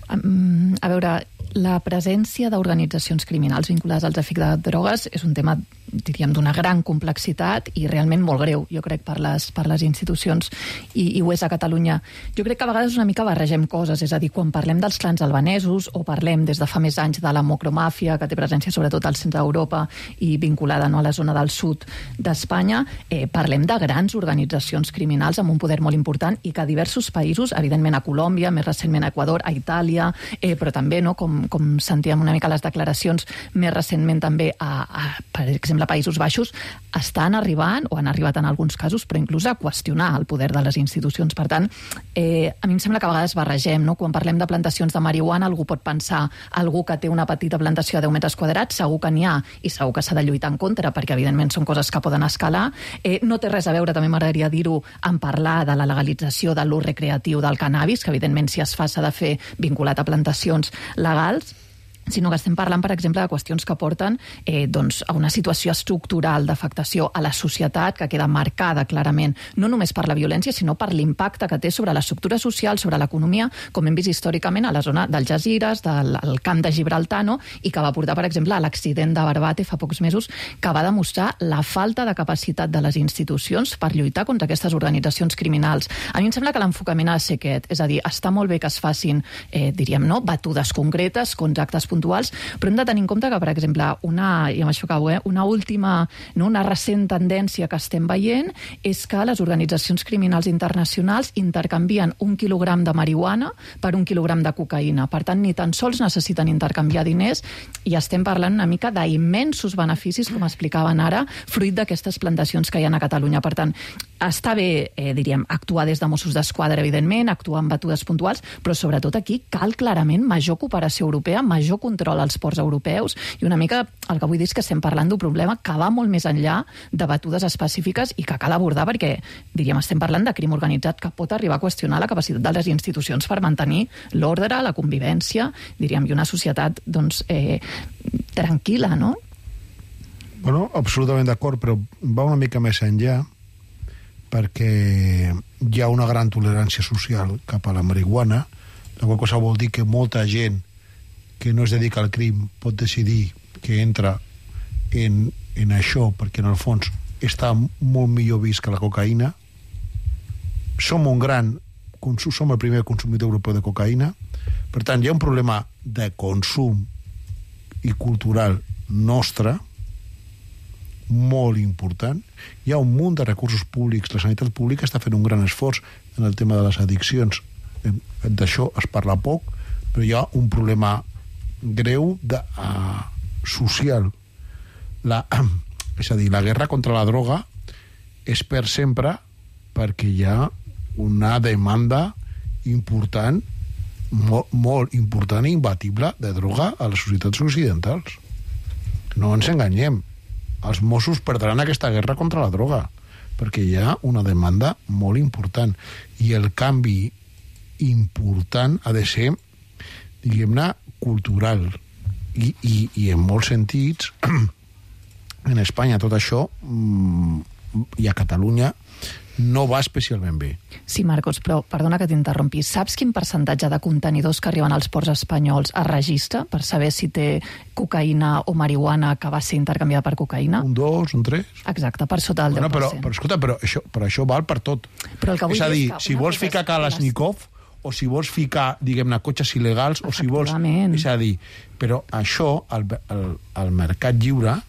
A veure, la presència d'organitzacions criminals vinculades al tràfic de drogues és un tema, diríem, d'una gran complexitat i realment molt greu, jo crec, per les institucions, i ho és a Catalunya. Jo crec que a vegades una mica barregem coses, és a dir, quan parlem dels clans albanesos o parlem des de fa més anys de la mocromàfia, que té presència sobretot al centre d'Europa i vinculada a la zona del sud d'Espanya, parlem de grans organitzacions criminals amb un poder molt important i que a diversos països, evidentment a Colòmbia, més recentment a Equador, a Itàlia, però també com com sentíem una mica les declaracions més recentment també per exemple, a Països Baixos, estan arribant, o han arribat en alguns casos, però inclús a qüestionar el poder de les institucions. Per tant, a mi em sembla que a vegades barregem, no? Quan parlem de plantacions de marihuana, algú pot pensar, algú que té una petita plantació de 10 metres quadrats, segur que n'hi ha, i segur que s'ha de lluitar en contra, perquè evidentment són coses que poden escalar. No té res a veure, també m'agradaria dir-ho, en parlar de la legalització de l'ús recreatiu del cannabis, que evidentment si es fa s'ha de fer vinculat a plantacions legals, sinó que estem parlant, per exemple, de qüestions que porten a una situació estructural d'afectació a la societat que queda marcada clarament, no només per la violència, sinó per l'impacte que té sobre l'estructura social, sobre l'economia, com hem vist històricament a la zona del Jazires, del camp de Gibraltar, no? I que va portar, per exemple, a l'accident de Barbate fa pocs mesos, que va demostrar la falta de capacitat de les institucions per lluitar contra aquestes organitzacions criminals. A mi em sembla que l'enfocament ha de ser aquest, és a dir, està molt bé que es facin, batudes concretes, contractes puntuals, però hem de tenir en compte que, per exemple, una recent tendència que estem veient és que les organitzacions criminals internacionals intercanvien 1 quilogram de marihuana per 1 quilogram de cocaïna. Per tant, ni tan sols necessiten intercanviar diners i estem parlant una mica d'immensos beneficis, com explicaven ara, fruit d'aquestes plantacions que hi ha a Catalunya. Per tant, està bé, actuar des de Mossos d'Esquadra, evidentment, actuar en batudes puntuals, però sobretot aquí cal clarament major cooperació europea, major control als ports europeus, i una mica el que vull dir és que estem parlant d'un problema que va molt més enllà de batudes específiques i que cal abordar perquè, estem parlant de crim organitzat que pot arribar a qüestionar la capacitat de les institucions per mantenir l'ordre, la convivència, i una societat, tranquil·la, no? Bueno, absolutament d'acord, però va una mica més enllà, perquè hi ha una gran tolerància social cap a la marihuana, la qual cosa vol dir que molta gent que no es dedica al crim pot decidir que entra en això perquè en el fons està molt millor vist que la cocaïna. Som el primer consumidor europeu de cocaïna, per tant hi ha un problema de consum i cultural nostre molt important. Hi ha un munt de recursos públics, la sanitat pública està fent un gran esforç en el tema de les addiccions, d'això es parla poc, però hi ha un problema greu social. És a dir, la guerra contra la droga és per sempre perquè hi ha una demanda important, molt important i imbatible de droga a les societats occidentals. No ens enganyem, els Mossos perdran aquesta guerra contra la droga perquè hi ha una demanda molt important i el canvi important ha de ser, diguem-ne, cultural i en molts sentits en Espanya tot això i a Catalunya no va especialment bé. Sí, Marcos, però perdona que t'interrompi. Saps quin percentatge de contenidors que arriben als ports espanyols es registra per saber si té cocaïna o marihuana que va ser intercanviada per cocaïna? Un 2, un 3. Exacte, per sota del 10%. Però escolta, però això val per tot. Però el que vull és a dir, que si vols ficar Kalashnikov o si vols ficar, diguem-ne, cotxes il·legals o si vols... És a dir, però això, el mercat lliure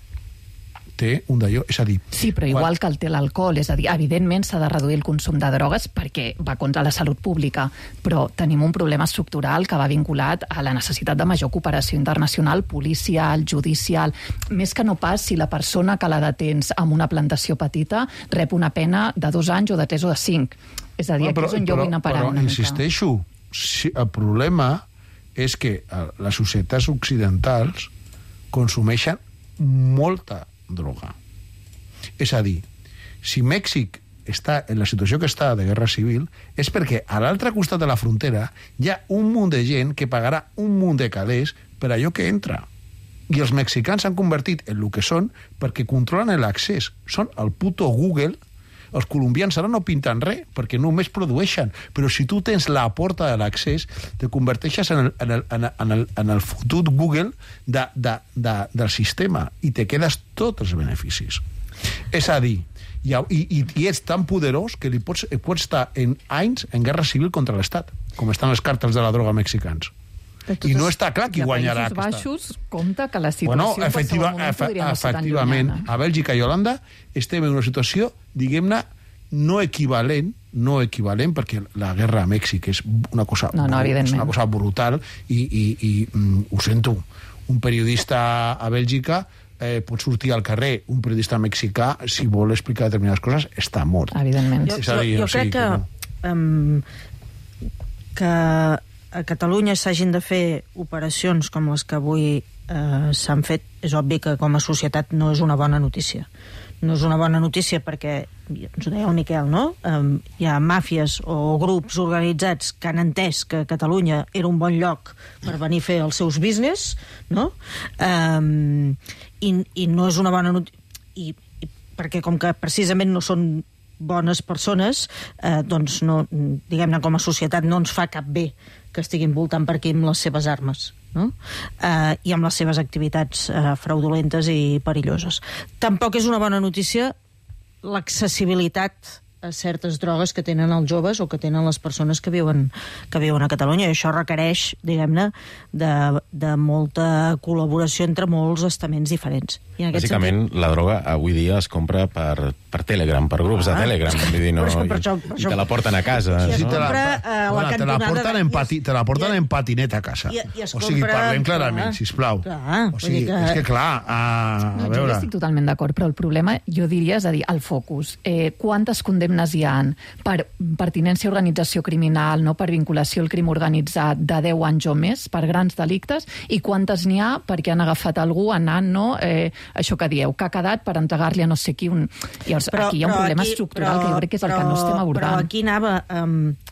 té un d'allò, és a dir... Sí, però igual que el té l'alcohol, és a dir, evidentment s'ha de reduir el consum de drogues perquè va contra la salut pública, però tenim un problema estructural que va vinculat a la necessitat de major cooperació internacional, policial, judicial, més que no pas si la persona que la detens amb una plantació petita rep una pena de 2 anys o de 3 o de 5. És a dir, aquí és on jo vull anar a parar una mica. Però insisteixo, el problema és que les societats occidentals consumeixen molta droga. És a dir, si Mèxic està en la situació que està de guerra civil és perquè a l'altre costat de la frontera hi ha un munt de gent que pagarà un munt de calés per allò que entra. I els mexicans s'han convertit en el que són perquè controlen l'accés. Són el puto Google. Els colombians ara no pinten res perquè només produeixen, però si tu tens la porta de l'accés te converteixes en el fotut Google del sistema i te quedes tots els beneficis. És a dir, i ets tan poderós que pots estar en anys en guerra civil contra l'Estat, com estan els càrtels de la droga mexicans. I no està clar qui guanyarà aquesta. A Països Baixos compta que la situació efectivament, a Bèlgica i Holanda estem en una situació, diguem-ne, no equivalent, perquè la guerra a Mèxic és una cosa, evidentment. És una cosa brutal i ho sento, un periodista a Bèlgica pot sortir al carrer, un periodista mexicà, si vol explicar determinades coses, està mort. Evidentment. Jo crec que a Catalunya s'hagin de fer operacions com les que avui s'han fet, és obvi que com a societat no és una bona notícia. No és una bona notícia perquè, ens ho deia el Miquel, no? Hi ha màfies o grups organitzats que han entès que Catalunya era un bon lloc per venir a fer els seus business, no? I no és una bona notícia, perquè com que precisament no són bones persones, doncs no, diguem-ne, com a societat no ens fa cap bé que estiguin voltant per aquí amb les seves armes, no? I amb les seves activitats fraudulentes i perilloses. Tampoc és una bona notícia l'accessibilitat a certes drogues que tenen els joves o que tenen les persones que viuen a Catalunya, i això requereix, diguem-ne, de molta col·laboració entre molts estaments diferents. I en aquest bàsicament, sentit, la droga avui dia es compra per Telegram, per grups de Telegram, vull dir, no, i te la porten a casa. I es no? compra te la porten en patinet a casa. O sigui, parlem clarament, sisplau. O sigui, és que clar, a veure... Jo estic totalment d'acord, però el problema, jo diria, és a dir, el focus. Quantes condemnes hi ha per pertinència a organització criminal, no per vinculació al crim organitzat de 10 anys o més, per grans delictes, i quantes n'hi ha perquè han agafat algú anant, no, això que dieu, que ha quedat per entregar-li a no sé qui un... Llavors, aquí hi ha un problema estructural que jo crec que és el que no estem abordant. Però aquí anava...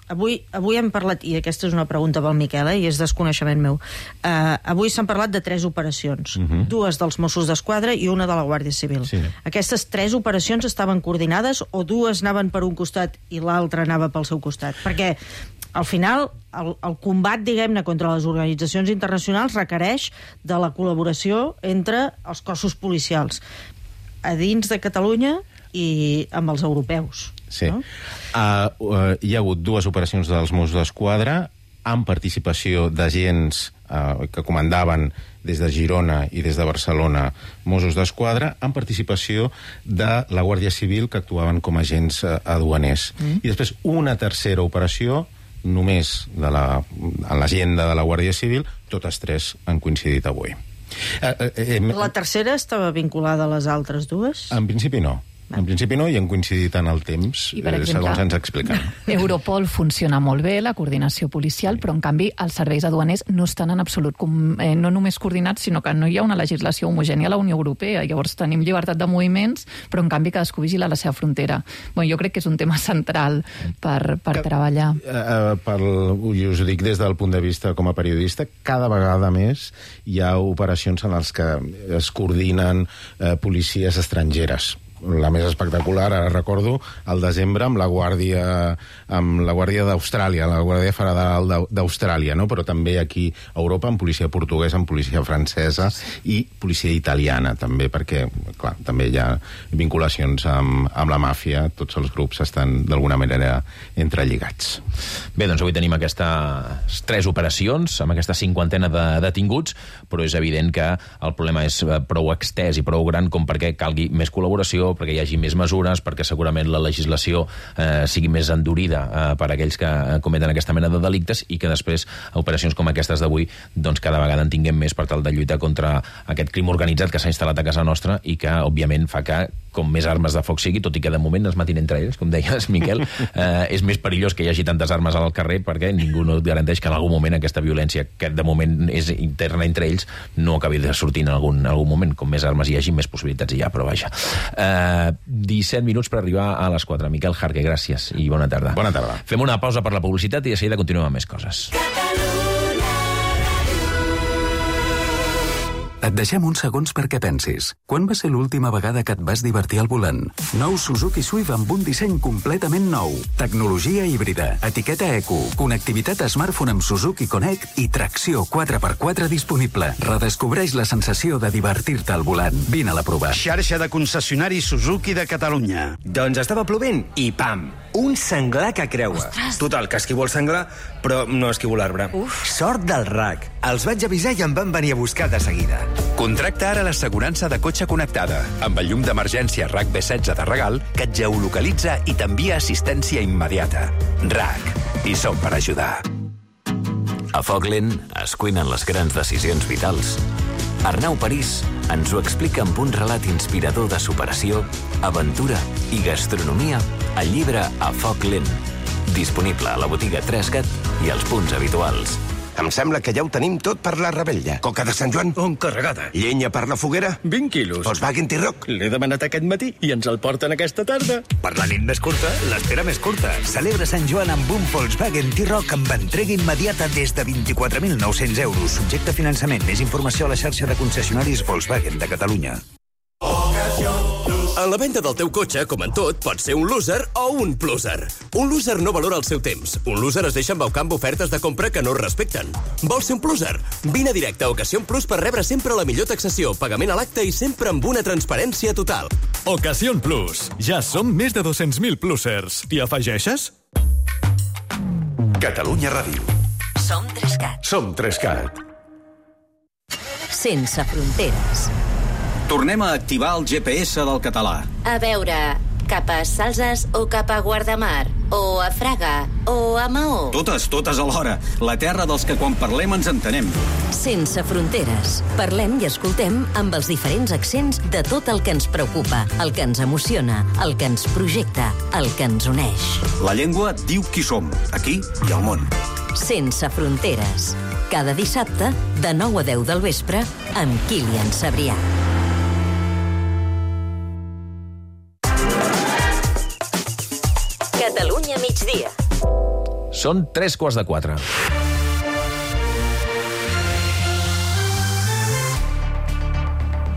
Avui hem parlat, i aquesta és una pregunta pel Miquel, i és desconeixement meu. Avui s'han parlat de 3 operacions, 2 dels Mossos d'Esquadra i una de la Guàrdia Civil. Sí. Aquestes 3 operacions estaven coordinades o 2 anaven per un costat i l'altre anava pel seu costat? Perquè al final el combat, diguem-ne, contra les organitzacions internacionals requereix de la col·laboració entre els cossos policials a dins de Catalunya i amb els europeus. Sí. No? Hi ha hagut 2 operacions dels Mossos d'Esquadra amb participació d'agents que comandaven des de Girona i des de Barcelona Mossos d'Esquadra, amb participació de la Guàrdia Civil, que actuaven com a agents aduaners. I després una tercera operació, només en l'agenda de la Guàrdia Civil, totes 3 han coincidit avui. La tercera estava vinculada a les altres 2? En principi no. En principi no, i han coincidit en el temps, segons ens expliquen. Europol funciona molt bé, la coordinació policial, però en canvi els serveis aduaners no estan en absolut no només coordinats, sinó que no hi ha una legislació homogènia a la Unió Europea. Llavors tenim llibertat de moviments, però en canvi cadascú vigila la seva frontera. Jo crec que és un tema central per treballar. Us ho dic des del punt de vista com a periodista, cada vegada més hi ha operacions en les que es coordinen policies estrangeres. La més espectacular, ara recordo, al desembre amb la Guàrdia d'Austràlia, la Guàrdia Federal d'Austràlia, no? Però també aquí a Europa, amb policia portuguesa, amb policia francesa i policia italiana, també, perquè, clar, també hi ha vinculacions amb la màfia, tots els grups estan d'alguna manera entrelligats. Bé, doncs avui tenim aquestes 3 operacions, amb aquesta 50ena de detinguts, però és evident que el problema és prou extès i prou gran com perquè calgui més col·laboració, perquè hi hagi més mesures, perquè segurament la legislació sigui més endurida per aquells que cometen aquesta mena de delictes i que després operacions com aquestes d'avui doncs cada vegada en tinguem més per tal de lluitar contra aquest crim organitzat que s'ha instal·lat a casa nostra i que, òbviament, fa que com més armes de foc sigui, tot i que de moment es matin entre ells, com deies, Miquel, és més perillós que hi hagi tantes armes al carrer perquè ningú no et garanteix que en algun moment aquesta violència, que de moment és interna entre ells, no acabi de sortir en algun moment. Com més armes hi hagi, més possibilitats hi ha, però vaja. 17 minuts per arribar a les 4. Miquel Jarque, gràcies i bona tarda. Bona tarda. Fem una pausa per la publicitat i de seguida continuem amb més coses. Et deixem uns segons perquè pensis. Quan va ser l'última vegada que et vas divertir al volant? Nou Suzuki Swift amb un disseny completament nou. Tecnologia híbrida, etiqueta eco, connectivitat smartphone amb Suzuki Connect i tracció 4x4 disponible. Redescobreix la sensació de divertir-te al volant. Vine a la provar. Xarxa de concessionaris Suzuki de Catalunya. Doncs estava plovent i pam! un senglar que creua. Ostres. Total, que esquivo el senglar, però no esquivo l'arbre. Sort del RAC. Els vaig avisar i em van venir a buscar de seguida. Contracta ara l'assegurança de cotxe connectada, amb el llum d'emergència RAC B16 de regal, que et geolocalitza i t'envia assistència immediata. RAC. I som per ajudar. A foc lent es cuinen les grans decisions vitals. Arnau París ens ho explica amb un relat inspirador de superació, aventura i gastronomia al llibre A foc lent, disponible a la botiga 3CAT i als punts habituals. Em sembla que ja ho tenim tot per la rebella. Coca de Sant Joan? Encarregada. Llenya per la foguera? 20 quilos. Volkswagen T-Roc? L'he demanat aquest matí i ens el porten aquesta tarda. Per la nit més curta, l'espera més curta. Celebra Sant Joan amb un Volkswagen T-Roc amb entrega immediata des de 24.900 euros. Subjecte a finançament. Més informació a la xarxa de concessionaris Volkswagen de Catalunya. En la venda del teu cotxe, com en tot, pot ser un loser o un pluser. Un loser no valora el seu temps. Un loser es deixa embaucar amb ofertes de compra que no es respecten. Vols ser un pluser? Vine directe a Ocasión Plus per rebre sempre la millor taxació, pagament a l'acte i sempre amb una transparència total. Ocasión Plus. Ja som més de 200.000 plusers. T'hi afegeixes? Catalunya Ràdio. Som 3CAT. Som 3CAT. Sense fronteres. Tornem a activar el GPS del català. A veure, cap a Salses o cap a Guardamar, o a Fraga, o a Maó. Totes alhora. La terra dels que quan parlem ens entenem. Sense fronteres. Parlem i escoltem amb els diferents accents de tot el que ens preocupa, el que ens emociona, el que ens projecta, el que ens uneix. La llengua diu qui som, aquí i al món. Sense fronteres. Cada dissabte, de 9 a 10 del vespre, amb Kilian Sabrià. Catalunya migdia. Són 3:15.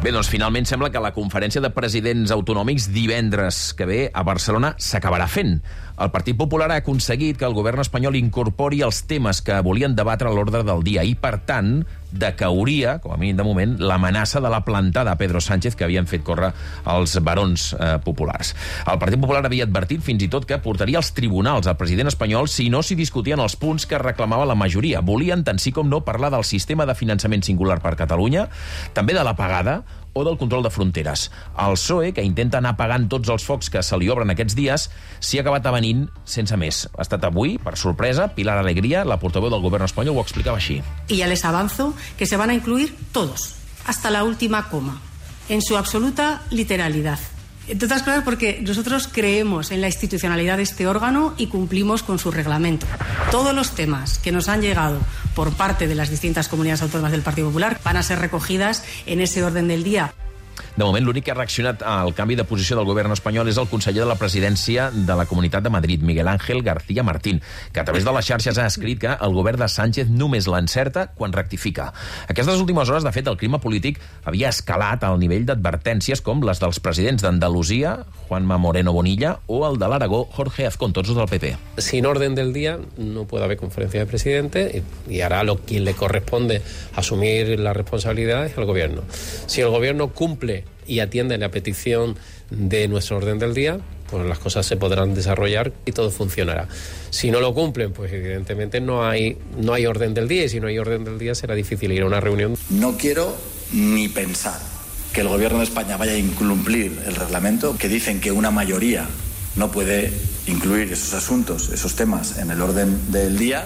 Bé, doncs finalment sembla que la conferència de presidents autonòmics divendres que ve a Barcelona s'acabarà fent. El Partit Popular ha aconseguit que el govern espanyol incorpori els temes que volien debatre a l'ordre del dia i, per tant, decauria, com a mínim de moment, l'amenaça de la plantada a Pedro Sánchez que havien fet córrer els barons populars. El Partit Popular havia advertit fins i tot que portaria als tribunals al president espanyol si no s'hi discutien els punts que reclamava la majoria. Volien, tant sí com no, parlar del sistema de finançament singular per Catalunya, també de la pagada o del control de fronteres. El PSOE, que intenta anar apagant tots els focs que se li obren aquests dies, s'hi ha acabat avenint sense més. Ha estat avui, per sorpresa, Pilar Alegría, la portaveu del govern espanyol, ho explicava així. Y ya les avanzo que se van a incluir todos, hasta la última coma, en su absoluta literalidad. Entre otras cosas porque nosotros creemos en la institucionalidad de este órgano y cumplimos con su reglamento. Todos los temas que nos han llegado por parte de las distintas comunidades autónomas del Partido Popular van a ser recogidas en ese orden del día. De moment, l'únic que ha reaccionat al canvi de posició del govern espanyol és el conseller de la presidència de la Comunitat de Madrid, Miguel Ángel García Martín, que a través de les xarxes ha escrit que el govern de Sánchez només l'encerta quan rectifica. Aquestes últimes hores, de fet, el clima polític havia escalat al nivell d'advertències com les dels presidents d'Andalusia, Juanma Moreno Bonilla, o el de l'Aragó, Jorge Azcón, tots del PP. Sin orden del día no puede haber conferencia de presidente y hará quien le corresponde asumir la responsabilidad es el gobierno. Si el gobierno cumple y atiende la petición de nuestro orden del día, pues las cosas se podrán desarrollar y todo funcionará. Si no lo cumplen, pues evidentemente no hay orden del día, y si no hay orden del día será difícil ir a una reunión. No quiero ni pensar que el gobierno de España vaya a incumplir el reglamento, que dicen que una mayoría no puede incluir esos asuntos, esos temas en el orden del día.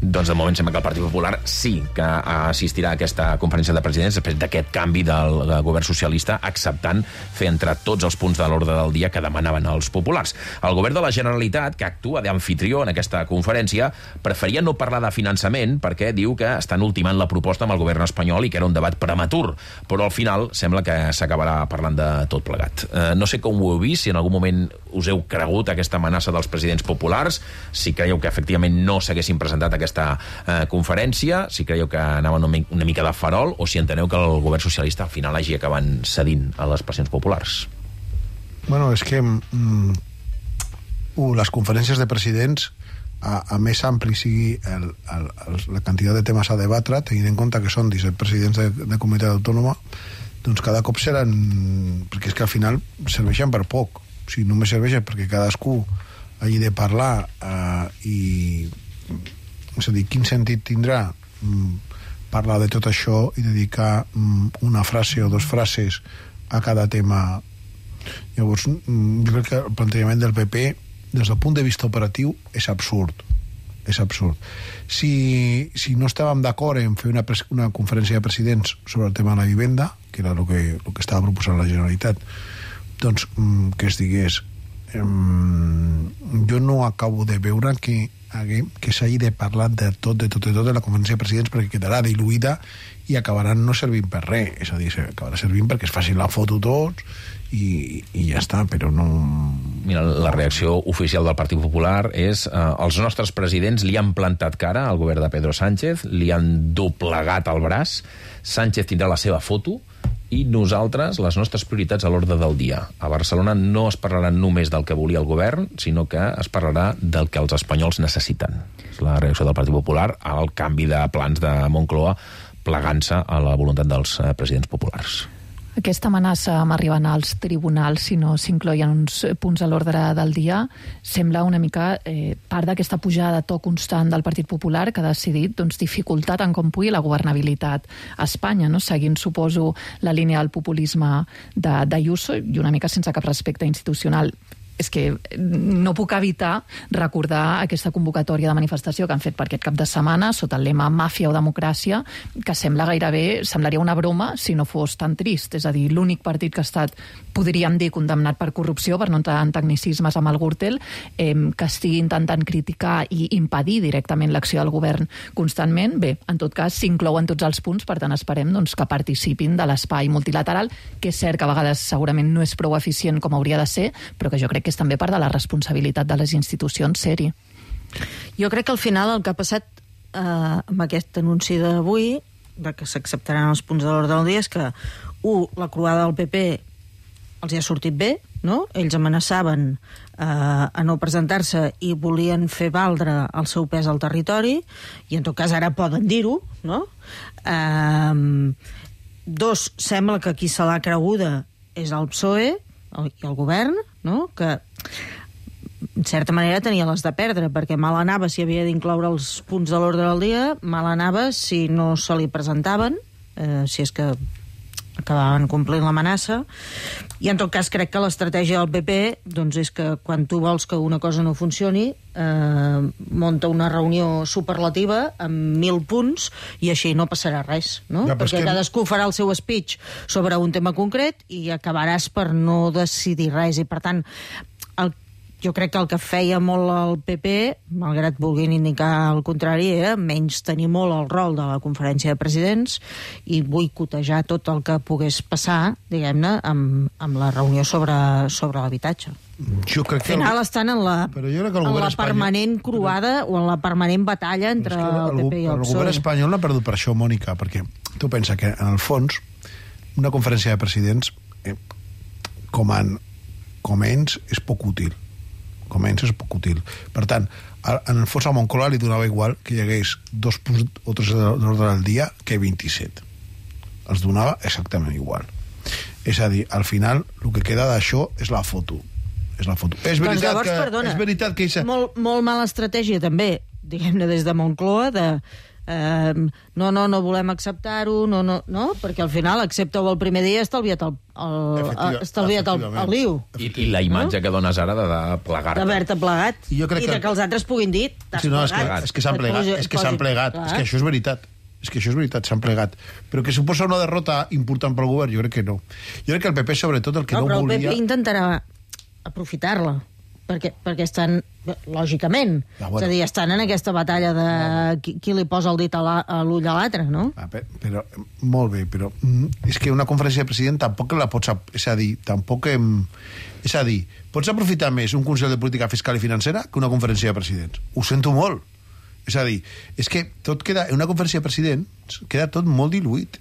Doncs de moment sembla que el Partit Popular sí que assistirà a aquesta conferència de presidents després d'aquest canvi del govern socialista, acceptant fer entrar tots els punts de l'ordre del dia que demanaven els populars. El govern de la Generalitat, que actua d'amfitrió en aquesta conferència, preferia no parlar de finançament perquè diu que estan ultimant la proposta amb el govern espanyol i que era un debat prematur, però al final sembla que s'acabarà parlant de tot plegat. No sé com ho heu vist, si en algun moment us heu cregut aquesta amenaça dels presidents populars, si creieu que efectivament no s'haguessin presentat aquesta conferència, si creieu que anaven una mica de farol o si enteneu que el govern socialista al final hagi acabat cedint a les pressions populars. Bueno, és que les conferències de presidents a més ampli sigui la quantitat de temes a debatre, tenint en compte que són 17 presidents de comunitat autònoma, doncs cada cop seran, perquè és que al final serveixen per poc, o sigui, només serveixen perquè cadascú hagi de parlar i... És a dir, quin sentit tindrà parlar de tot això i dedicar una frase o 2 frases a cada tema? Llavors, jo crec que el plantejament del PP, des del punt de vista operatiu, és absurd. És absurd. Si no estàvem d'acord en fer una conferència de presidents sobre el tema de la vivenda, que era el que estava proposant la Generalitat, doncs que es digués jo no acabo de veure que s'hagi de parlar de tot de la conferència de presidents, perquè quedarà diluïda i acabaran no servint per res. És a dir, acabarà servint perquè es facin la foto tots i ja està, però no... Mira, la reacció oficial del Partit Popular és els nostres presidents li han plantat cara al govern de Pedro Sánchez, li han doblegat el braç, Sánchez tindrà la seva foto i nosaltres, les nostres prioritats a l'ordre del dia. A Barcelona no es parlarà només del que volia el govern, sinó que es parlarà del que els espanyols necessiten. És la reacció del Partit Popular al canvi de plans de Moncloa plegant-se a la voluntat dels presidents populars. Aquesta amenaça amb arribar als tribunals si no s'incloïen uns punts a l'ordre del dia sembla una mica part d'aquesta pujada de to constant del Partit Popular que ha decidit dificultar tant com pugui la governabilitat a Espanya, no? Seguint, suposo, la línia del populisme d'Ayuso i una mica sense cap respecte institucional. És que no puc evitar recordar aquesta convocatòria de manifestació que han fet per aquest cap de setmana sota el lema Màfia o Democràcia, que semblaria una broma si no fos tan trist. És a dir, l'únic partit que ha estat, podríem dir, condemnat per corrupció, per no entrar en tecnicismes amb el Gürtel, que estigui intentant criticar i impedir directament l'acció del govern constantment. Bé, en tot cas, s'inclouen tots els punts, per tant esperem que participin de l'espai multilateral, que és cert que a vegades segurament no és prou eficient com hauria de ser, però que jo crec que és també part de la responsabilitat de les institucions ser-hi. Jo crec que al final el que ha passat amb aquest anunci d'avui, que s'acceptaran els punts de l'ordre del dia, és que, la croada del PP els hi ha sortit bé, no? Ells amenaçaven a no presentar-se i volien fer valdre el seu pes al territori, i en tot cas ara poden dir-ho, no? 2, sembla que qui se l'ha creguda és el PSOE i el govern, no? Que en certa manera tenia les de perdre, perquè mal anava si havia d'incloure els punts de l'ordre del dia, mal anava si no se li presentaven, si és que acabaven complint l'amenaça. I en tot cas crec que l'estratègia del PP és que quan tu vols que una cosa no funcioni, monta una reunió superlativa amb 1.000 punts i així no passarà res, no? Ja, perquè cadascú farà el seu speech sobre un tema concret i acabaràs per no decidir res. I per tant, jo crec que el que feia molt el PP, malgrat vulguin indicar el contrari, menys tenir molt el rol de la conferència de presidents i boicotejar tot el que pogués passar, diguem-ne, amb la reunió sobre l'habitatge. Jo crec que... Al final estan en la permanent croada o en la permanent batalla entre el PP i el PSOE. El govern espanyol l'ha perdut per això, Mònica, perquè tu pensa que, en el fons, una conferència de presidents com ens és poc útil. Per tant, en el fons a Moncloa li donava igual que hi hagués 2 punts o 3 d'ordre del dia que 27. Els donava exactament igual. És a dir, al final, el que queda d'això és la foto. És veritat que... Molt mala estratègia, també, diguem-ne, des de Moncloa, no volem acceptar-ho, no, perquè al final accepta-ho el primer dia, estalviat el liu. I la imatge que dones ara de plegar-te. D'haver-te plegat. I de que els altres puguin dir, t'has plegat. És que s'han plegat. És que això és veritat. S'han plegat. Però que suposa una derrota important pel govern, jo crec que no. Jo crec que el PP, sobretot, el que no volia... Però el PP intentarà aprofitar-la, perquè estan, lògicament, és a dir, estan en aquesta batalla de qui li posa el dit a l'ull a l'altre, no? Però, molt bé, però és que una conferència de president tampoc la pots... És a dir, pots aprofitar més un Consell de Política Fiscal i Financera que una conferència de presidents. Ho sento molt. És a dir, és que tot queda... En una conferència de presidents queda tot molt diluït.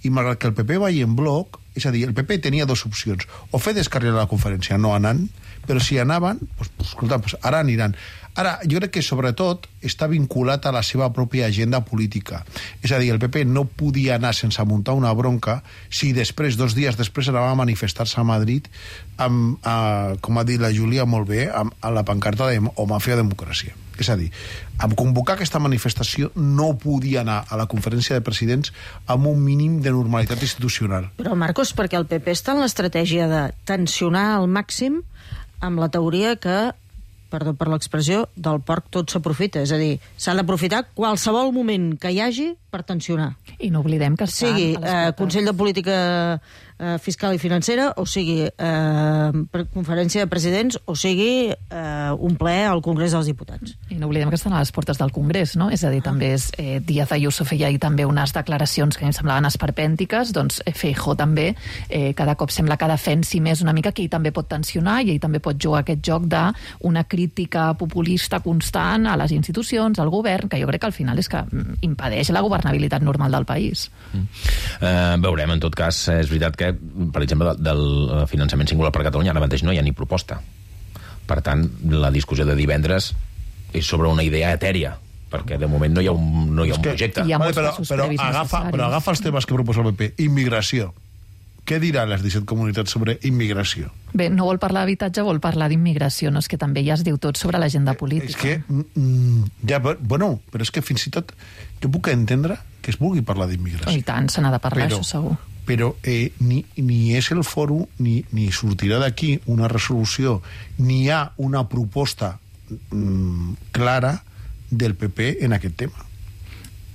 I malgrat que el PP vagi en bloc, és a dir, el PP tenia 2 opcions. O fer descarrilar la conferència no anant, però si anaven, escolta, ara aniran. Ara, jo crec que sobretot està vinculat a la seva pròpia agenda política. És a dir, el PP no podia anar sense muntar una bronca si després, 2 dies després, anava a manifestar-se a Madrid amb, com ha dit la Júlia molt bé, amb la pancarta de o màfia democràcia. És a dir, amb convocar aquesta manifestació no podia anar a la conferència de presidents amb un mínim de normalitat institucional. Però, Marcos, perquè el PP està en l'estratègia de tensionar al màxim amb la teoria que, perdó per l'expressió, del porc tot s'aprofita. És a dir, s'ha d'aprofitar qualsevol moment que hi hagi per tensionar. I no oblidem que sigui Consell de Política Fiscal i Financera, o sigui conferència de presidents, o sigui un ple al Congrés dels Diputats. I no oblidem que estan a les portes del Congrés, no? És a dir, també Díaz Ayuso feia ahir també unes declaracions que a mi em semblaven esperpèntiques, doncs Feijóo també cada cop sembla que defensi més una mica que ell també pot tensionar i ell també pot jugar aquest joc d'una crítica populista constant a les institucions, al govern, que jo crec que al final és que impedeix la governabilitat normal del país. Veurem, en tot cas, és veritat que, per exemple, del finançament singular per Catalunya ara mateix no hi ha ni proposta. Per tant, la discussió de divendres és sobre una idea etèria, perquè de moment no hi ha un projecte. Però agafa els temes que proposa el PP. Immigració. Què diran les 17 comunitats sobre immigració? Bé, no vol parlar d'habitatge, vol parlar d'immigració, no? És que també ja es diu tot sobre l'agenda política. És que, bueno, però és que fins i tot jo puc entendre que es vulgui parlar d'immigració. I tant, se n'ha de parlar, això segur. Però ni és el fòrum, ni sortirà d'aquí una resolució, ni hi ha una proposta clara del PP en aquest tema.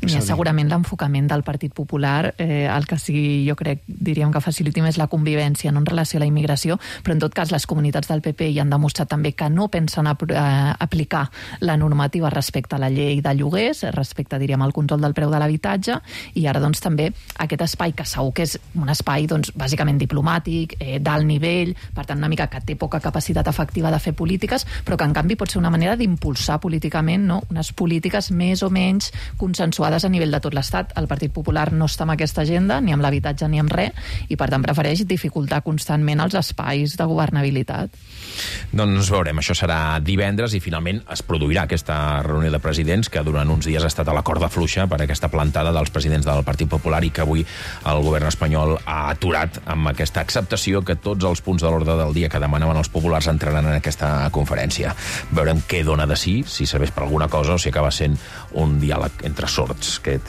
Segurament l'enfocament del Partit Popular, el que sí, jo crec, diríem que faciliti més la convivència en relació a la immigració, però en tot cas les comunitats del PP hi han demostrat també que no pensen aplicar la normativa respecte a la llei de lloguers, respecte, diríem, al control del preu de l'habitatge, i ara doncs també aquest espai que segur que és un espai doncs bàsicament diplomàtic, d'alt nivell, per tant una mica que té poca capacitat efectiva de fer polítiques, però que en canvi pot ser una manera d'impulsar políticament, no?, unes polítiques més o menys consensuades a nivell de tot l'Estat. El Partit Popular no està amb aquesta agenda, ni amb l'habitatge ni amb res, i per tant prefereix dificultar constantment els espais de governabilitat. Doncs veurem, això serà divendres i finalment es produirà aquesta reunió de presidents que durant uns dies ha estat a la corda fluixa per aquesta plantada dels presidents del Partit Popular i que avui el govern espanyol ha aturat amb aquesta acceptació que tots els punts de l'ordre del dia que demanaven els populars entraran en aquesta conferència. Veurem què dona de si serveix per alguna cosa o si acaba sent un diàleg entre sords, que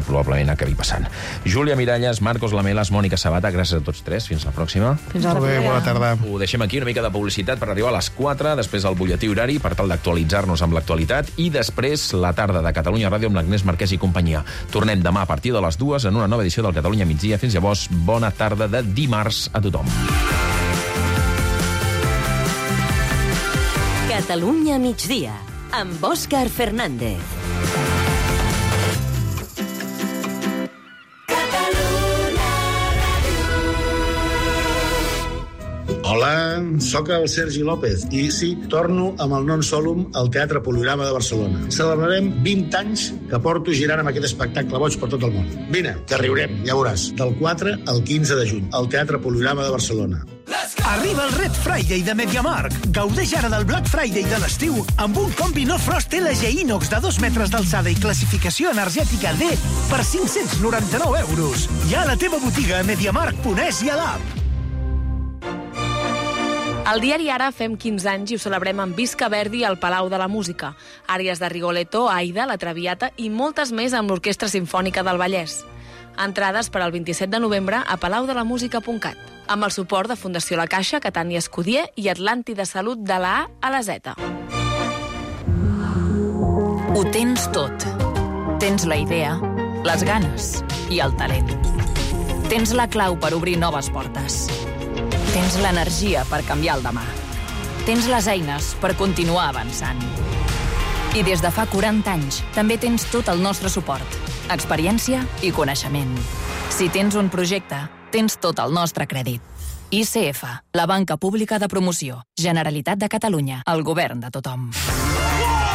probablement acabi passant. Júlia Miralles, Marcos Lamelas, Mònica Sabata, gràcies a tots tres. Fins la pròxima. Fins la propera. Bona tarda. Ho deixem aquí, una mica de publicitat per arribar a les 4, després el butlletí horari per tal d'actualitzar-nos amb l'actualitat i després la tarda de Catalunya Ràdio amb l'Agnès Marquès i companyia. Tornem demà a partir de les 2 en una nova edició del Catalunya Migdia. Fins llavors, bona tarda de dimarts a tothom. Catalunya Migdia, amb Òscar Fernández. Hola, sóc el Sergi López i sí, torno amb el Non Solum al Teatre Poliorama de Barcelona. Celebrarem 20 anys que porto girant amb aquest espectacle boig per tot el món. Vine, que riurem, ja veuràs. Del 4 al 15 de juny, al Teatre Poliorama de Barcelona. Arriba el Red Friday de MediaMarkt. Gaudeix ara del Black Friday de l'estiu amb un combi no frost LG Inox de 2 metres d'alçada i classificació energètica D per 599 euros. Ja a la teva botiga a MediaMarkt.es i a l'app. Al diari Ara fem 15 anys i ho celebrem amb Visca Verdi al Palau de la Música, àries de Rigoletto, Aida, La Traviata i moltes més amb l'Orquestra Simfònica del Vallès. Entrades per al 27 de novembre a palaudelamusica.cat, amb el suport de Fundació La Caixa, Catània Escudier i Atlàntida Salut de la A a la Z. Ho tens tot. Tens la idea, les ganes i el talent. Tens la clau per obrir noves portes. Tens l'energia per canviar el demà. Tens les eines per continuar avançant. I des de fa 40 anys també tens tot el nostre suport, experiència i coneixement. Si tens un projecte, tens tot el nostre crèdit. ICF, la banca pública de promoció. Generalitat de Catalunya, el govern de tothom.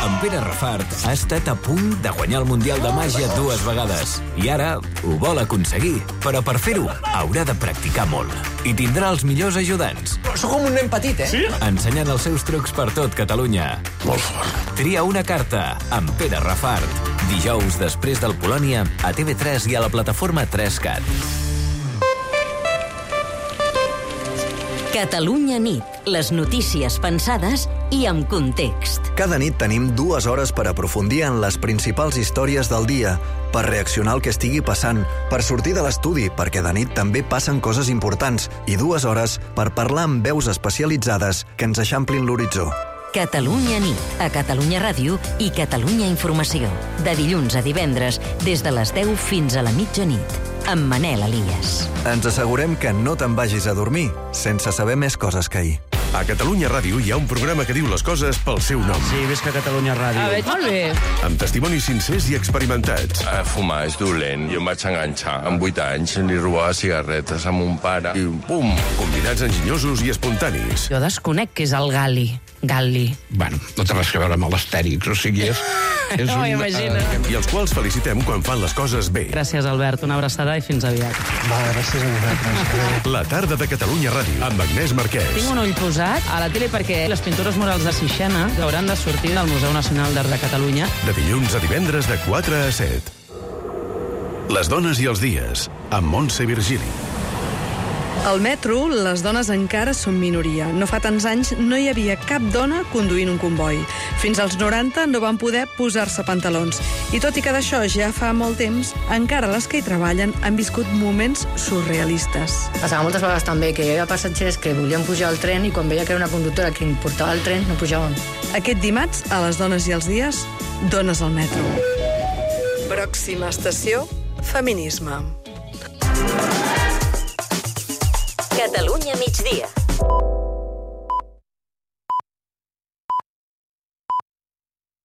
En Pere Rafart ha estat a punt de guanyar el Mundial de Màgia 2 vegades. I ara ho vol aconseguir. Però per fer-ho haurà de practicar molt. I tindrà els millors ajudants. Sóc com un nen petit, eh? Sí? Ensenyant els seus trucs per tot Catalunya. Molt fort. Tria una carta amb Pere Rafart. Dijous, després del Polònia, a TV3 i a la plataforma 3Cat. Catalunya nit. Les notícies pensades i amb context. Cada nit tenim 2 hores per aprofundir en les principals històries del dia, per reaccionar al que estigui passant, per sortir de l'estudi, perquè de nit també passen coses importants, i 2 hores per parlar amb veus especialitzades que ens eixamplin l'horitzó. Catalunya nit, a Catalunya Ràdio i Catalunya Informació. De dilluns a divendres, des de les 10 fins a la mitjanit. Amb Manel Elias. Ens assegurem que no te'n vagis a dormir sense saber més coses que ahir. A Catalunya Ràdio hi ha un programa que diu les coses pel seu nom. Sí, visca Catalunya Ràdio. Veig molt bé. Amb testimonis sincers i experimentats. Fumar és dolent. Jo em vaig enganxar. Amb 8 anys li robava cigarretes a mon pare i pum! Convidats enginyosos i espontanis. Jo desconec què és el Gali. Gali. Bueno, no té res a veure amb l'Astèrix, o sigui, és no m'ho imagino. I els quals felicitem quan fan les coses bé. Gràcies, Albert. Una abraçada i fins aviat. Va, gràcies a vosaltres. La tarda de Catalunya Ràdio, amb Agnès Marquès. Tinc un ull posat a la tele perquè les pintures murals de Sixena hauran de sortir del Museu Nacional d'Art de Catalunya. De dilluns a divendres de 4 a 7. Les dones i els dies, amb Montse Virgili. Al metro, les dones encara són minoria. No fa tants anys no hi havia cap dona conduint un comboi. Fins als 90 no van poder posar-se pantalons. I tot i que d'això ja fa molt temps, encara les que hi treballen han viscut moments surrealistes. Passava moltes vegades també que hi havia passatgers que volien pujar al tren i quan veia que era una conductora que portava el tren no pujaven. Aquest dimarts, a les dones i els dies, dones al metro. Pròxima estació, feminisme. Catalunya migdia.